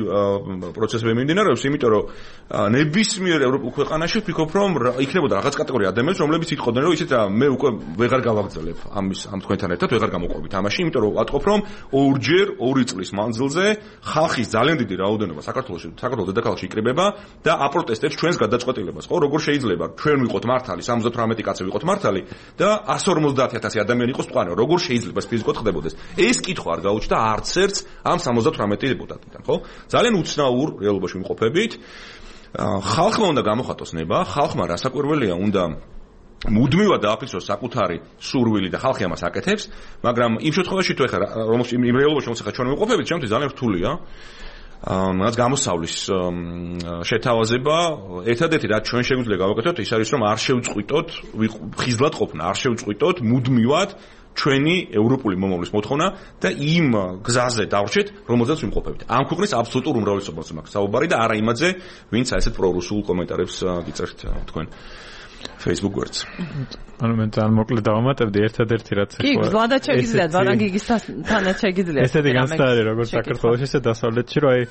პროცესები მიმდინარეობს იმიტომ რომ ნებისმიერ ევროპულ ქვეყანაში ვფიქრობ რომ იქნებოდა რაღაც კატეგორია ადამიანის რომლებიც იტყოდნენ რომ ისეთ მე უკვე ვეღარ გავაგრძელებ ამის ამ თქვენთან ერთად ვეღარ გამოყვებით ამაში, იმიტომ რომ ვატყობ რომ ორჯერ ორი წლის მანძილზე ხალხის ძალიან დიდი რაოდენობა საქართველოში, საქართველოს დედაქალაქში იკრიბება და აპროტესტებს ჩვენს გადაწყვეტილებას. ხო, როგორ შეიძლება ჩვენ ვიყოთ მართალი, სამოცდათვრამეტი კაცი ვიყოთ მართალი და εκατს ორმოცდაათი ათასი ადამიანი ადამიანი იყოს მყარი. როგორ შეიძლება ფიზიკოდ ხდებოდეს? ეს კითხვა არ გაუჩნდა არც ერთს ამ სამოცდათვრამეტი დეპუტატიდან, ხო? ძალიან უცნაურ რეალობაში ვიმყოფებით. ხალხმა უნდა გამოხატოს ნება, ხალხმა რასაკვირველია უნდა მუდმივად დააფიქსოს საკუთარი სურვილი და ხალხი ამას აკეთებს, მაგრამ იმ შემთხვევაში თუ ეხლა რომელს იმ რეალობაში რომელსაც ახლა ჩვენ ვიმყოფებით, ჩემთვის ძალიან რთულია. რაც გამოსავლის შეთავაზება, ერთადერთი რაც ჩვენ შეგვიძლია გავაკეთოთ, ის არის რომ არ შევწყვიტოთ, ხიზლად ყოფნა, არ შევწყვიტოთ მუდმივად ჩვენი ევროპული მომავლის მოთხოვნა და იმ გზაზე დავრჩეთ, რომელზეც ვიმყოფებით. ამ ქვეყნის აბსოლუტურ უმრავლესობას მაქვს საუბარი და არა იმაზე, ვინც აი ესეთ პრორუსულ კომენტარებს გიწერთ თქვენ Facebook გვერდს. ანუ მე ძალიან მოკლედ დავამატებდი ერთადერთი რაც ხო. კი, გზლადაც შეგიძლიათ, ბარანგიგისთანაც შეგიძლიათ. ესეთი განცდა არის როგორც საქართველოს ისე დასავლეთში, რომ აი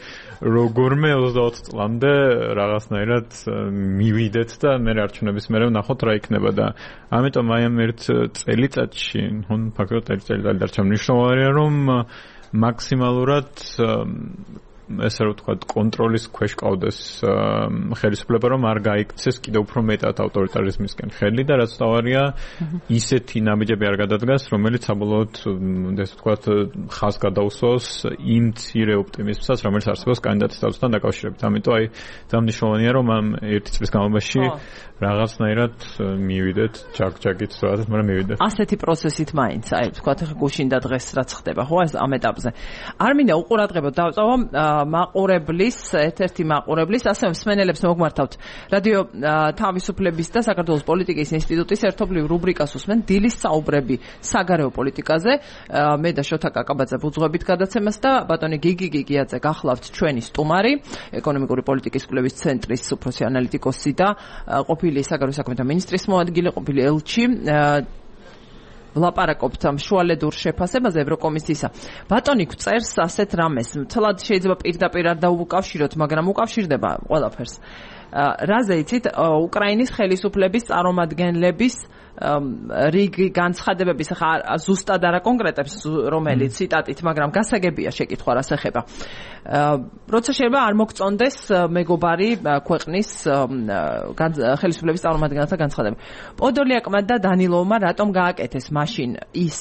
როგორმე ოცდაოთხ წლამდე რაღაცნაირად მივიდეთ და მე არჩევნების მერე ვნახოთ რა იქნება და ამიტომ აი ამ ერთ წელიწადში, ნუ ფაქტობრივად ერთ წელიწად დარჩა მნიშვნელოვანია რომ მაქსიმალურად ესე რომ ვთქვათ, კონტროლის ქვეშ ყავდეს ხელისუფლება, რომ არ გაიქცეს კიდევ უფრო მეტად ავტორიტარიზმისკენ ხელი და რაც თავარია, ისეთი ნაბიჯები არ გადადგას, რომელიც საბოლოოდ, ესე ვთქვათ, ხაზს გადაუსვოს იმ მცირე ოპტიმიზმსაც, რომელიც არსებობს კანდიდატის თავთან დაკავშირებით. ამიტომ აი, ძალიან მნიშვნელოვანია, რომ ამ ერთი წლის განმავლობაში რაღაცნაირად მივიდეთ, ჯაგ-ჯაგით რაღაც, მაგრამ მივიდეთ. ასეთი პროცესით მაინც, აი, ვთქვათ, ახლა გუშინ და დღეს რაც ხდება, ხო, ამ ეტაპზე. არ მინდა უყურადღებოდ დავწავო მაყურებლის, ერთ-ერთი მაყურებლის, ასევე მსმენელებს მოგმართავთ რადიო თავისუფლების და საქართველოს პოლიტიკის ინსტიტუტის ერთობლივ რუბრიკას უსმენ დილის საუბრები საგარეო პოლიტიკაზე. მე და შოთა კაკაბაძე ვუძღვებით გადაცემას და ბატონი გიგი გიგიაძე გახლავთ ჩვენი სტუმარი, ეკონომიკური პოლიტიკის კვლევის ცენტრის უფროსი ანალიტიკოსი და ყოფილი საგარეო საქმეთა მინისტრის მოადგილე, ყოფილი ელჩი. ლაპარაკობთ ამ შუალედურ შეფასებაზე ევროკომისიისა. ბატონი გვწერს ასეთ რამეს, თლად შეიძლება პირდაპირ არ დაუკავშიროთ, მაგრამ უკავშირდება ყველაფერს. რაზე იცით, უკრაინის ხელისუფლების წარმომადგენლების რიგი განცხადებების, ხა ზუსტად არა კონკრეტებს რომელიც ციტატით, მაგრამ გასაგებია შეკითხვა რას ეხება. როცა შეიძლება არ მოგწონდეს მეგობარი ქვეყნის ხელისუფლების წარმომადგენელთა განცხადებები. პოდოლიაკმა და დანილოვმა რატომ გააკეთეს მაშინ ის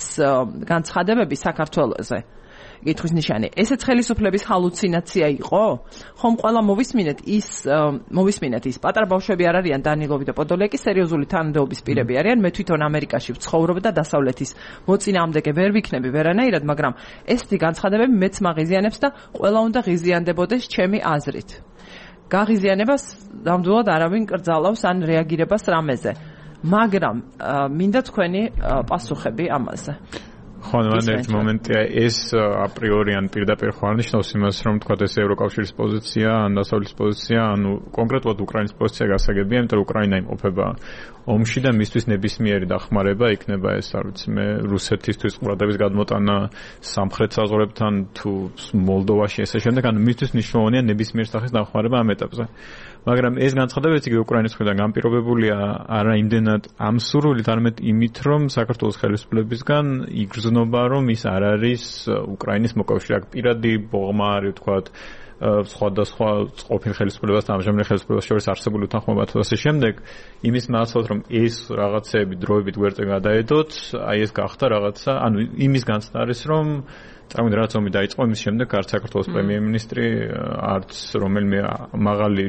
განცხადებები საქართველოზე? კითხვის ნიშანი. ესეც ხელისუფლების ჰალუცინაცია იყო? ხომ ყველა მოვისმინეთ ის მოვისმინეთ ის პატარა ბავშვები არ არიან დანილოვი და პოდოლიაკი, სერიოზული თანამდებობის პირები არიან. მე თვითონ ამერიკაში ვცხოვრობ და დასავლეთის მოწინააღმდეგე ვერ ვიქნები ვერანაირად, მაგრამ ესეთი განცხადებები მეც მაღიზიანებს და ყველა უნდა ღიზიანდებოდეს ჩემი აზრით. გაღიზიანებას ნამდვილად არავინ კრძალავს ან რეაგირებას რამეზე. მაგრამ მინდა თქვენი პასუხები ამაზე. ხო, მან ერთ მომენტია ეს აპრიორი ან პირდაპირ ხო არნიშნავს იმას, რომ თქვა ეს ევროკავშირის პოზიცია, ან დასავლეთის პოზიცია, ანუ კონკრეტულად უკრაინის პოზიცია გასაგებია, იმიტომ რომ უკრაინა იმყოფება ომში და მისთვის ნებისმიერი დახმარება იქნება ეს, არ ვიცი, მე რუსეთისთვის ყურადღების გადმოტანა სამხრეთ საზღვრებთან თუ მოლდოვაში ესე შემდეგ, ანუ მისთვის მნიშვნელოვანია ნებისმიერ სახის დახმარება ამ ეტაპზე. მაგრამ ეს განცხადებაც იგი უკრაინის მხრიდან განპირობებულია არა იმდენად ამ სურვილით, არამედ იმით, რომ საქართველოს ხელისუფლებისგან იგრძნობა, რომ ის არ არის უკრაინის მოკავშირე. აქ პირადი ბოღმა არის, ვთქვათ, სხვადასხვა ყოფილ ხელისუფლებას და ამჟამინდელ ხელისუფლებას შორის არსებული უთანხმოება და ასე შემდეგ, იმის მართლად, რომ ეს რაღაცეები დროებით გვერდზე გადაედოთ, აი ეს გახდა რაღაცა, ანუ იმის განცდა არის, რომ წარმოიდგინე რაც ომი დაიწყო, იმის შემდეგ არც საქართველოს პრემიერ-მინისტრი, არც რომელიმე მაღალი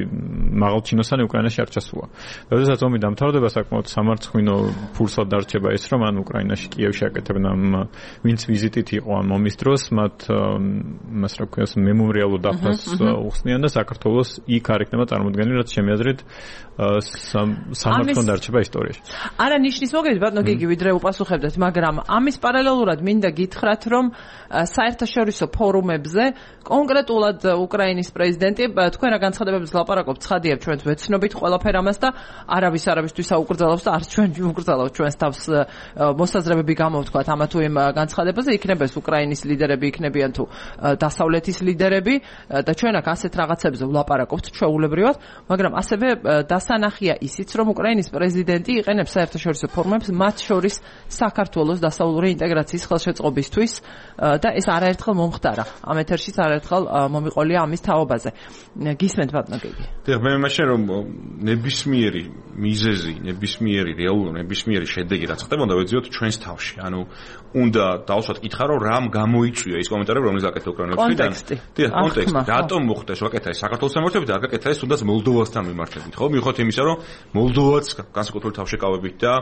მაღალჩინოსანი უკრაინაში არ ჩასულა. როდესაც ომი დამთავრდება, საკმაოდ სამარცხვინო ფურსად დარჩება ის, რომ ან უკრაინაში კიევში აკეთებენ ამ ვინც ვიზიტით იყო ამ ომის დროს, მათ მას რა ქვია, მემორიალურ დაფას უხსნიან და საქართველოს იქ არ იქნება წარმოდგენილი, რაც ჩემი აზრით სამარცხვინო დარჩება ისტორიაში. არა ნიშნის მოგებით, ბატონო გიგი, ვიდრე უპასუხებდეთ, მაგრამ ამის პარალელურად მინდა გითხრათ, რომ საერთაშორისო ფორუმებზე კონკრეტულად უკრაინის პრეზიდენტი თქვენ რა განცხადებებს ლაპარაკობთ, ცხადია ჩვენც ვეცნობით ყველაფერ ამას და არავის არავისთვის აუკრძალავს და არც ჩვენ ვუკრძალავთ ჩვენს თავს მოსაზრებები გამოვთქვათ ამა თუ იმ განცხადებაზე, იქნება ეს უკრაინის ლიდერები, იქნებიან თუ დასავლეთის ლიდერები და ჩვენ აქ ასეთ რაღაცებზე ვლაპარაკობთ ჩვეულებრივად, მაგრამ ასევე დასანახია ისიც, რომ უკრაინის პრეზიდენტი იყენებს საერთაშორისო ფორუმებს, მათ შორის საქართველოს დასავლური ინტეგრაციის ხელშეწყობისთვის და ეს არაერთხელ მომხდარა. ამ ეთერშიც არაერთხელ მომიყოლია ამის თაობაზე. გისმენთ ბატონო გიგი. დიახ, მე მაშინ რომ ნებისმიერი მიზეზი, ნებისმიერი რეალური, ნებისმიერი შედეგი რაც ხდებოდა, ვეძიოთ ჩვენს თავში. ანუ უნდა დავსვათ კითხა, რომ რამ გამოიწვია ის კომენტარები, რომელიც აკეთა უკრაინელთან. კონტექსტი. დიახ, კონტექსტი. რატომ მოხდა ეს ვაკეთა ეს საქართველოს მიმართებით, არ გაკეთა ეს თუნდაც მოლდოვასთან მიმართებით, ხო? მიუხედავად იმისა, რომ მოლდოვაც განსაკუთრებული თავშეკავებით და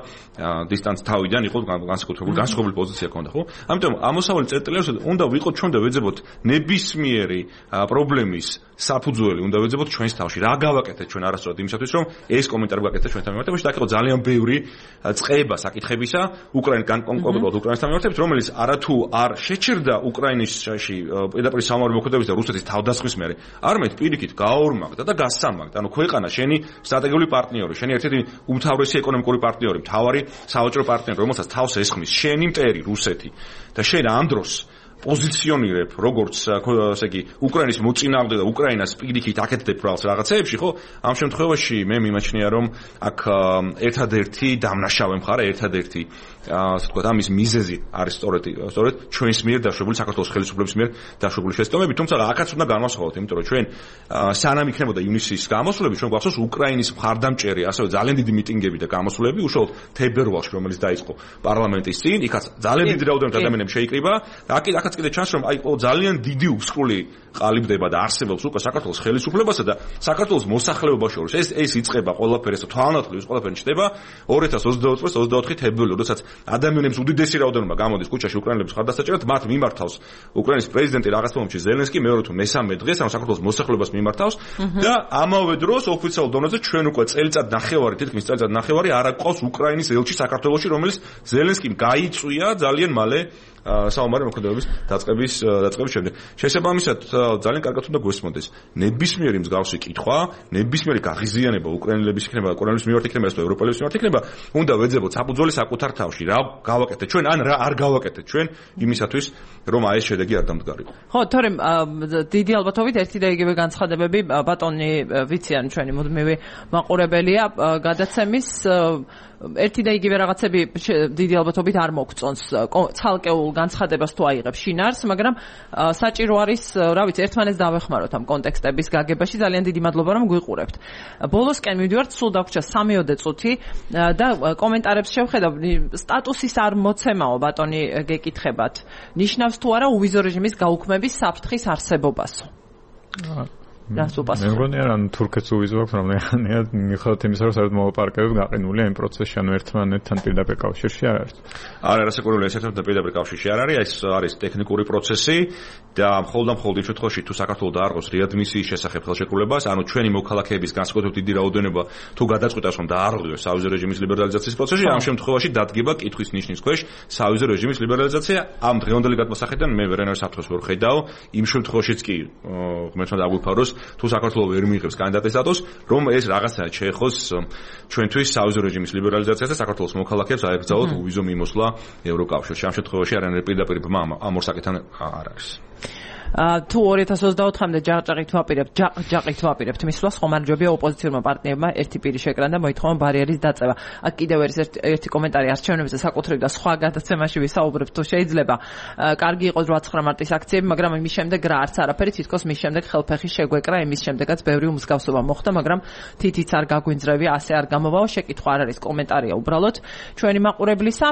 დისტანც თავიდან იყო განსაკუთრებული განსხვავებული პოზიცია ჰქონდა, ხო? ამიტომ ამოსავალი წერტილებს უნდა ვიყოთ ჩვენ და ვეძებოთ ნებისმიერი პრობლემის საფუძველი უნდა ვეძებოთ ჩვენს თავში. რა გავაკეთეთ ჩვენ არასწორად იმისათვის, რომ ეს კომენტარი გავაკეთეთ ჩვენთან მიმართებით და დაიწყო ძალიან ბევრი წყება საკითხებისა უკრაინიდან კონკრეტულად უკრაინასთან მიმართებით, რომელიც არათუ არ შეჩერდა უკრაინაში პირდაპირ სამომავლო მოქმედების და რუსეთის თავდასხმის მერე, არამედ პირიქით გააორმაგდა და გასამაგდა. ანუ ქვეყანა შენი სტრატეგიული პარტნიორი, შენი ერთ-ერთი უმთავრესი ეკონომიკური პარტნიორი, მთავარი სავაჭრო პარტნიორი, რომელსაც თავს ესხმის შენი მტერი რუსეთი და შენ ამ დროს პოზიციონირებ როგორც ასე იგი უკრაინის მოწინააღმდეგე და უკრაინას პირიქით აკეთებ რაღაცეებში, ხო? ამ შემთხვევაში მე მიმაჩნია, რომ აქ ერთადერთი დამნაშავე მხარე, ერთადერთი ასე ვთქვათ, ამის მიზეზი არის სწორედ სწორედ ჩვენს მიერ დაშვებული საქართველოს ხელისუფლების მიერ დაშვებული შეცდომები, თუმცა აქაც უნდა განვასხვაოთ, იმიტომ რომ ჩვენ სანამ იქნებოდა ივნისის გამოსვლები, ჩვენ გვახსოვს უკრაინის მხარდამჭერი, ასევე ძალიან დიდი მიტინგები და გამოსვლები, უშუალოდ თებერვალში, რომელიც დაიწყო პარლამენტის წინ, იქაც ძალიან დიდი რაოდენობით ადამიანები შეიკრიბა და აქაც კიდე ჩანს, რომ აი ძალიან დიდი უსკრული ყალიბდება და არსებობს უკვე საქართველოს ხელისუფლებასა და საქართველოს მოსახლეობას შორის. ეს ეს იწყება ყველაფერი, ეს თვალნათლივ ის ყველაფერი ჩდება ორი ათას ოცდაოთხ წლის ოცდაოთხი თებერვალი, როდესაც ადამიანებს უდიდესი რაოდენობა გამოდის ქუჩაში უკრაინელების მხარდასაჭერად, მათ მიმართავს უკრაინის პრეზიდენტი რაღაც მომენტში ზელენსკი, მეორე თუ მესამე დღეს ამ საქართველოს მოსახლეობას მიმართავს და ამავე დროს ოფიციალურ დონეზე ჩვენ უკვე წელიწად ნახევარი, თითქმის წელიწად ნახევარი არ აკვავს უკრაინის ელჩი საქართველოში, რომელიც ზელენსკიმ გაიწვია ძალიან მალე საომარი მოქმედებების დაწყების დაწყების შემდეგ. შესაბამისად, ძალიან კარგად უნდა გვესმოდეს ნებისმიერი მსგავსი კითხვა, ნებისმიერი გაღიზიანება უკრაინელების იქნება, უკრაინელების მიმართ იქნება, ეს ევროპელების მიმართ იქნება, უნდა ვეძებოთ საფუძველი საკუთარ თავში. რა გავაკეთეთ ჩვენ, ან რა არ გავაკეთეთ ჩვენ იმისათვის, რომ აი ეს შედეგი არ დამდგარიყო. ხო, თორემ დიდი ალბათობით ერთი და იგივე განცხადებები ბატონი ვიციან ჩვენი მუდმივი მაყურებელია გადაცემის ერთი და იგივე რაღაცები დიდი ალბათობით არ მოგწონს ცალკეულ განცხადებას თუ აიღებს შინაარს, მაგრამ საჭირო არის, რა ვიცი, ერთმანეთს დავეხმაროთ ამ კონტექსტების გაგებაში. ძალიან დიდი მადლობა, რომ გვიყურებთ. ბოლოსკენ მივდივართ, სულ დაგვრჩა სამიოდე წუთი და კომენტარებს შევხედავ. სტატუსის არ მოცემაო ბატონი გეკითხებათ. ნიშნავს თუ არა უვიზო რეჟიმის გაუქმების საფრთხის არსებობასო? რას უპასუხებ? მე მგონია, რომ თურქეთს უვიზო აქვს, რომელიღანია მიუხედავად იმისა, რომ საერთოდ მოლაპარაკებები გაყინულია იმ პროცესში, ანუ ერთმანეთთან პირდაპირ კავშირში არ არის. არა, რასაკურველი ეს ერთმანეთთან პირდაპირ კავშირში არ არის, ეს არის ტექნიკური პროცესი და მხოლოდ ამ მხოლოდ იმ შემთხვევაში, თუ საქართველოს დაარღვევს რეადმისიის შესახებ ხელშეკრულებას, ანუ ჩვენი მოქალაქეების განსაკუთრებით დიდი რაოდენობა თუ გადაწყვიტავს, რომ დაარღვევს სავიზო რეჟიმის ლიბერალიზაციის პროცესში, ამ შემთხვევაში დადგება კითხვის ნიშნის ქვეშ სავიზო რეჟიმის ლიბერალიზაცია. ამ დღევანდელი გადმოსახედიდან მე ვერანაირ საფრთხეს ვერ ხედავ, იმ შემთხვევაშიც კი ღმერთმა დაგვიფაროს თუ საქართველოს ვერ მიიღებს კანდიდატის სტატუსს, რომ ეს რაღაცაა შეეხოს ჩვენთვის სავიზო რეჟიმის ლიბერალიზაციას და საქართველოს მოქალაქეებს აეკრძალოთ უვიზო მიმოსვლა ევროკავშირში. ამ შემთხვევაში არანაირი პირდაპირ ბმა ამ ორ საკითხთან არ არის. თუ ორი ათას ოცდაოთხამდე ჯაყჯაყით ვაპირებთ, ჯაყჯაყით ვაპირებთ მისვლას, ხომარჯვებია ოპოზიციურმა პარტნიორმა ერთი პირი შეკრან და მოითხოვა ბარიერის დაწევა. აქ კიდევ არის ერთი კომენტარი არჩევნებზე საკუთრივ და სხვა გადაცემაში ვისაუბრებთ, თუ შეიძლება. კარგი იყო ოცდაოთხ მარტის აქციები, მაგრამ იმის შემდეგ რა არც არაფერი, თითქოს მის შემდეგ ხელფეხი შეგვეკრა, იმის შემდეგაც ბევრი უმსგავსობა მოხდა, მაგრამ თითიც არ გაგვინძრევია, ასე არ გამოვაო, შეკითხვა არ არის, კომენტარია უბრალოდ ჩვენი მაყურებლისა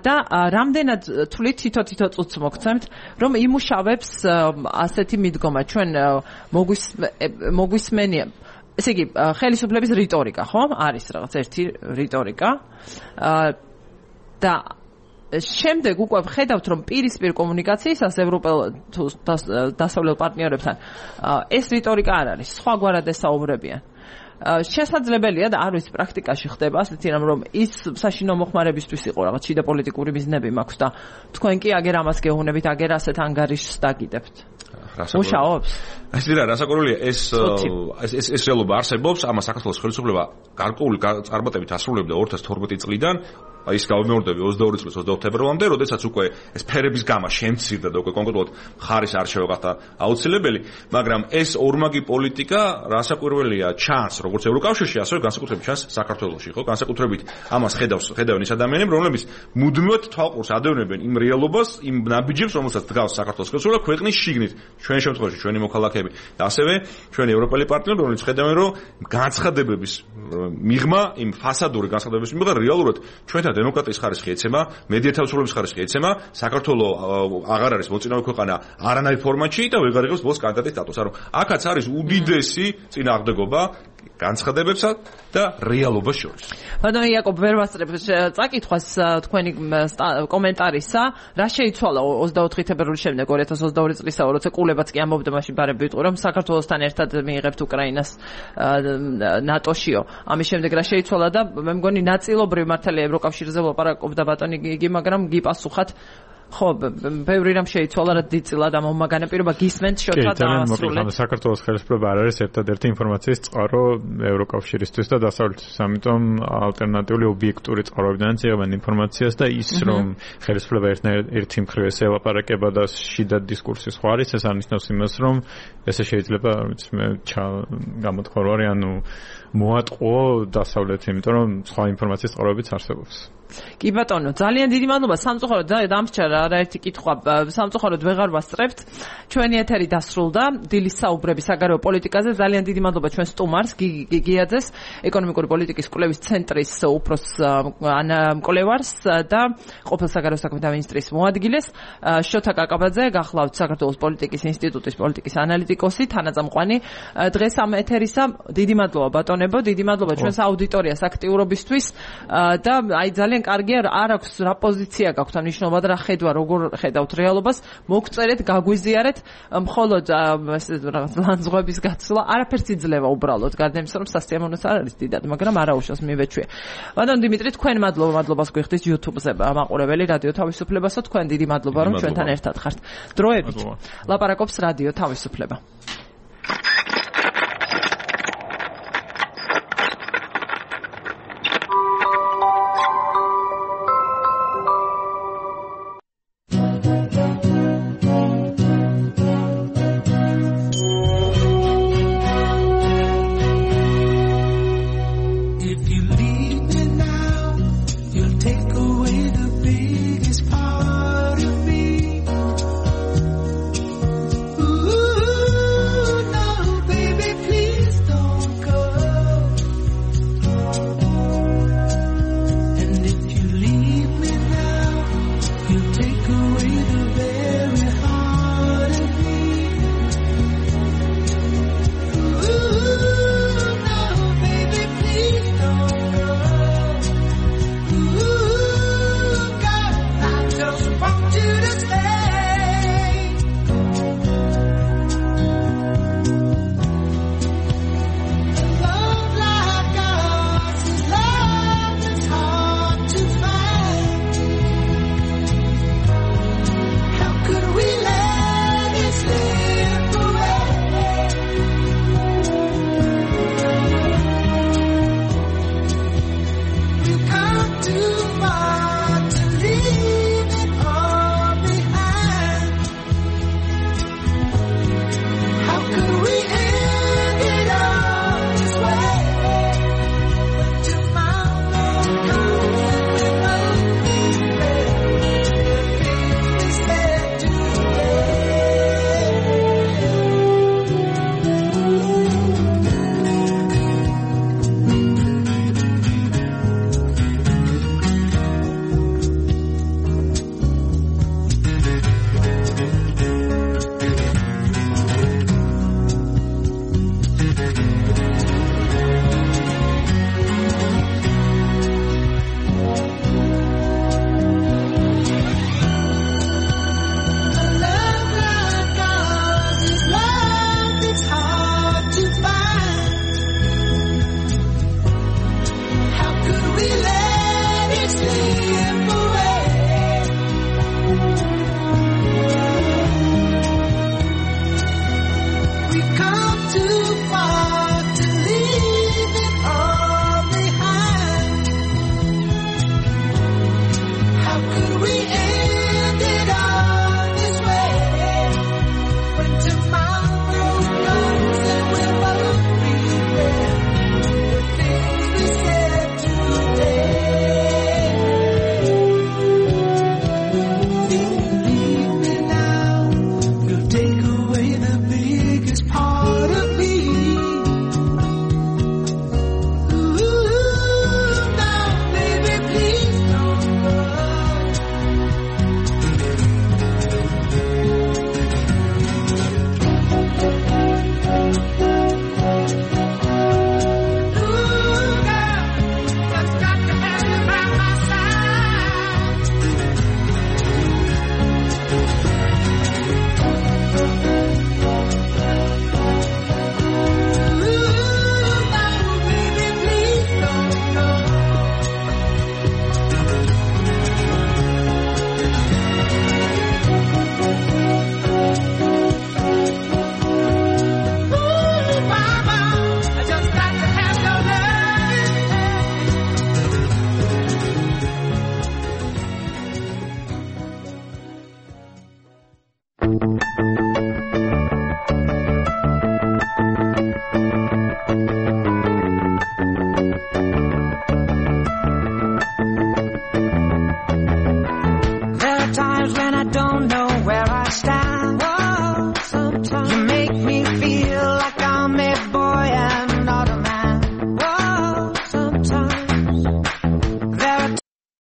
და რამდენად თვლით თითო-თითო წუთს მოგცემთ, რომ იმუშავებს ასეთი მიდგომა ჩვენ მოგვისმენია, ესე იგი ხელისუფლების რიტორიკა, ხო? არის რაღაც ერთი რიტორიკა და შემდეგ უკვე ვხედავთ, რომ პირისპირ კომუნიკაციისას ევროპელ თუ დასავლელ პარტნიორებთან ეს რიტორიკა არ არის, სხვაგვარად ესაუბრებიან. შესაძლებელია და არ ვიცი პრაქტიკაში ხდება ასეთი რამ რომ ის საშინო მოხმარებისთვის იყო რაღაც შიდა პოლიტიკური მიზნები მაქვს და თქვენ კი აგერ ამას გეუბნებით აგერ ასეთ ანგარიშს დაგიდებთ მუშაობს ასე რა რასაკვირველია ეს ეს ეს რეალობა არსებობს ამას საქართველოს ხელისუფლება გარკვეული წარმატებით ასრულებდა ორი ათას თორმეტი წლიდან ის გამეორდები ოცდაორი წლის ოცდაოთხ თებერვალამდე, როდესაც უკვე ეს ფერების გამა შემცირდა და უკვე კონკრეტულად მხარის არჩევა გახდა აუცილებელი, მაგრამ ეს ორმაგი პოლიტიკა რასაკვირველია ჩანს როგორც ევროკავშირში, ასევე განსაკუთრებით ჩანს საქართველოში, ხო? განსაკუთრებით ამას ხედავს ხედავენ ის ადამიანები, რომლებიც მუდმივად თვალყურს ადევნებენ იმ რეალობას, იმ ნაბიჯებს, რომელსაც დგავს საქართველოს ხელისუფლება ქვეყნის შიგნით, ჩვენ შემთხვევაში ჩვენი მოქალაქეები და ასევე ჩვენი ევროპელი პარტნიორები, რომლებიც ხედავენ, რომ განცხადებების მიღმა, იმ ფასადური განცხადებების მიღმა რეალურად ჩვენთან დემოკრატიის ხარისხი ეცემა, მედია თავისუფლების ხარისხი ეცემა, საქართველო აღარ არის მოწინავე ქვეყანა არანაირ ფორმატში და ვეღარ იღებს ბოლოს კანდიდატის სტატუსს. ანუ აქაც არის უდიდესი წინააღმდეგობა განცხადებებსა და რეალობას შორის. ბატონო იაკობ ვერ ვასწრებ წაკითხვას თქვენი კომენტარისა, რა შეიცვალა ოცდაოთხი თებერვლის შემდეგ ორი ათას ოცდაორი წლისაო, როცა კულებაც კი ამბობდა მაშინ ბარები ვიტყვი, რომ საქართველოსთან ერთად მიიღებთ უკრაინას ნატოშიო. ამის შემდეგ რა შეიცვალა და მე მგონი ნაწილობრივ მართალია ევროკავშირზე ვლაპარაკობდა ბატონი გიგი, მაგრამ გიპასუხათ ხო, ბევრი რამ შეიცვალა რა დიდწილად ამომაგანა პირობა გისმენთ შოთა დაასრულეთ. საქართველოს ხელისუფლება არ არის ერთადერთი ინფორმაციის წყარო ევროკავშირისთვის და დასავლეთისთვის, ამიტომ ალტერნატიული ობიექტური წყაროებიდანაც იღებენ ინფორმაციას და ის რომ ხელისუფლება ერთი მხრივ ესე ელაპარაკება და შიდა დისკურსი სხვა არის, ეს არნიშნავს იმას, რომ ესე შეიძლება მე გამოთქვა რომ არის ანუ მოატყო დასავლეთი, იმიტომ რომ სხვა ინფორმაციის წყაროებიც არსებობს. კი ბატონო, ძალიან დიდი მადლობა სამწუხაროდ დამსჯერა არაერთი კითხვა სამწუხაროდ ვეღარ ვასწრებთ. ჩვენი ეთერი დასრულდა დილის საუბრები საგარეო პოლიტიკაზე. ძალიან დიდი მადლობა ჩვენ სტუმარს გიგიაძეს, ეკონომიკური პოლიტიკის კვლევის ცენტრის უფროს მკვლევარს და ყოფილ საგარეო საქმეთა მინისტრის მოადგილეს შოთა კაკაბაძე, გახლავთ საქართველოს პოლიტიკის ინსტიტუტის პოლიტიკის ანალიტიკოსი, თანაწამყვანი დღეს ამ ეთერისა. დიდი მადლობა ბატონებო, დიდი მადლობა ჩვენს აუდიტორიას აქტიურობისთვის და აი ძალიან კარგია, არ აქვს რა პოზიცია გაქვთ ამ ნიშნობა და რა ხედვა, როგორ ხედავთ რეალობას, მოგწერეთ, გაგვიზიარეთ, მხოლოდ რაღაც ლანძღვების გაცვლა არაფერს იძლევა უბრალოდ, გარდა იმისა, რომ სასიამოვნოც არ არის დიდად, მაგრამ არაუშავს მივეჩვიე. ბატონ დიმიტრი, თქვენ მადლობა, მადლობას გვიხდით YouTube-ზე მაყურებელი რადიო თავისუფლებასო, თქვენ დიდი მადლობა, რომ ჩვენთან ერთად ხართ. დროებით ლაპარაკობს რადიო თავისუფლება. Ooh tiempo